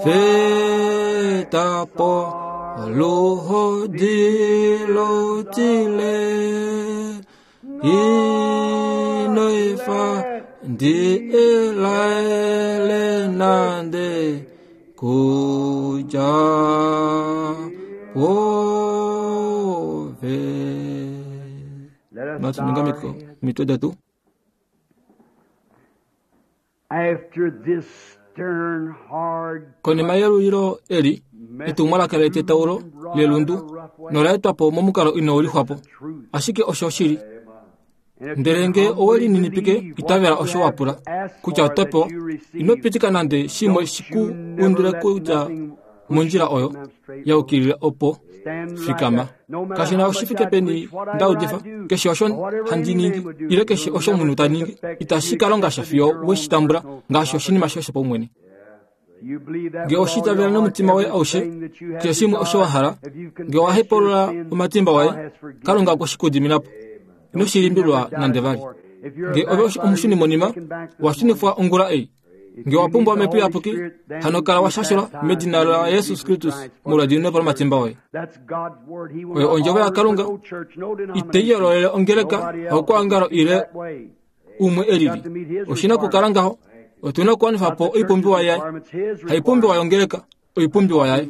fetapo oluhodi lotile ino efa ndi elaele nande kudja pwoove. Let us Natu bow our ninga heads. mitwe detu. After this stern, hard Konima yelulilo eli, etumwalaka letetaulo lelundu nola etwa po momukalo inau lixwa po. Ashike osho oshili. Ndele nge owe lininipike, itavela osho wa pula, kutya oto pewa. Ino pitika nande shimwe shi ku undule kudja mondjila oyo ya yukilila opo fikama. Kashi na oshi fike peni nda udifa, keshe osho handi ningi, ile keshe osho omunhu ta ningi, itashi ka longa sha fiyo we shi tambula ngaashi oshinima shoye shopaumwene. Nge oshi itavela nomutima woye aushe, keshe shimwe osho wa hala, nge owa hepaulula omatimba waye, Kalunga okwe shi ku dimina po. Ino shi limbililwa nande vali. Nge ove omushunimonima, wa shunifwa ongula ei. Nge wa pumbwa Omhepo Iyapuki, hano kala wa shashelwa medina laJesus Kristus molwediminepo lomatimba oye. Oyo ondjovo yaKalunga, itei yoololele ongeleka, haukwaongalo ile umwe e lili. Oshi na okukala ngaho. Otu na okuwanifa po oipumbiwa yaye, haipumbiwa yongeleka, oipumbiwa yaye.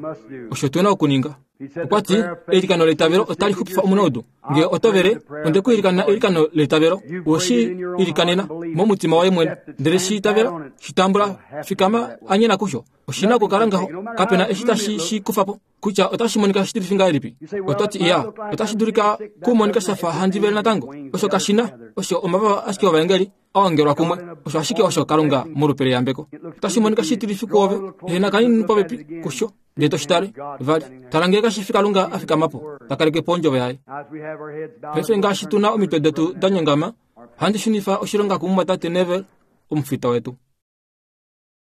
Osho tu na okuninga. Okwa ti, Eilikano leitavelo otali xupifa omunaudu. Nge oto vele, onde ku ilikana eilikano leitavelo. We shi ilikanena momutima waye mwene, ndele shi itavela, shi tambula, fikama, anyena kusho. Oshi na okukala ngaho. Kape na eshi tashi shi kufa po. Kutya otashi monika shitilifi ngahelipi. Oto ti, Iya, otashi dulika ku monika sha fa handi vele natango. Osho kashi na, osho omavava ashike ovaengeli a ongelwa kumwe. Osho ashike osho Kalunga molupe leyambeko. Otashi monika shitilifi kuove, ehena kanini popepi kusho. Ndele to shi tale, vali, tala ngee kashi fi Kalunga a fikama po, ta kaleke po ondjovo yaye. Paife ngaashi tu na omitwe detu da nyongama, ohandi shunifa oshilonga kumumwatate Neville, omufita wetu.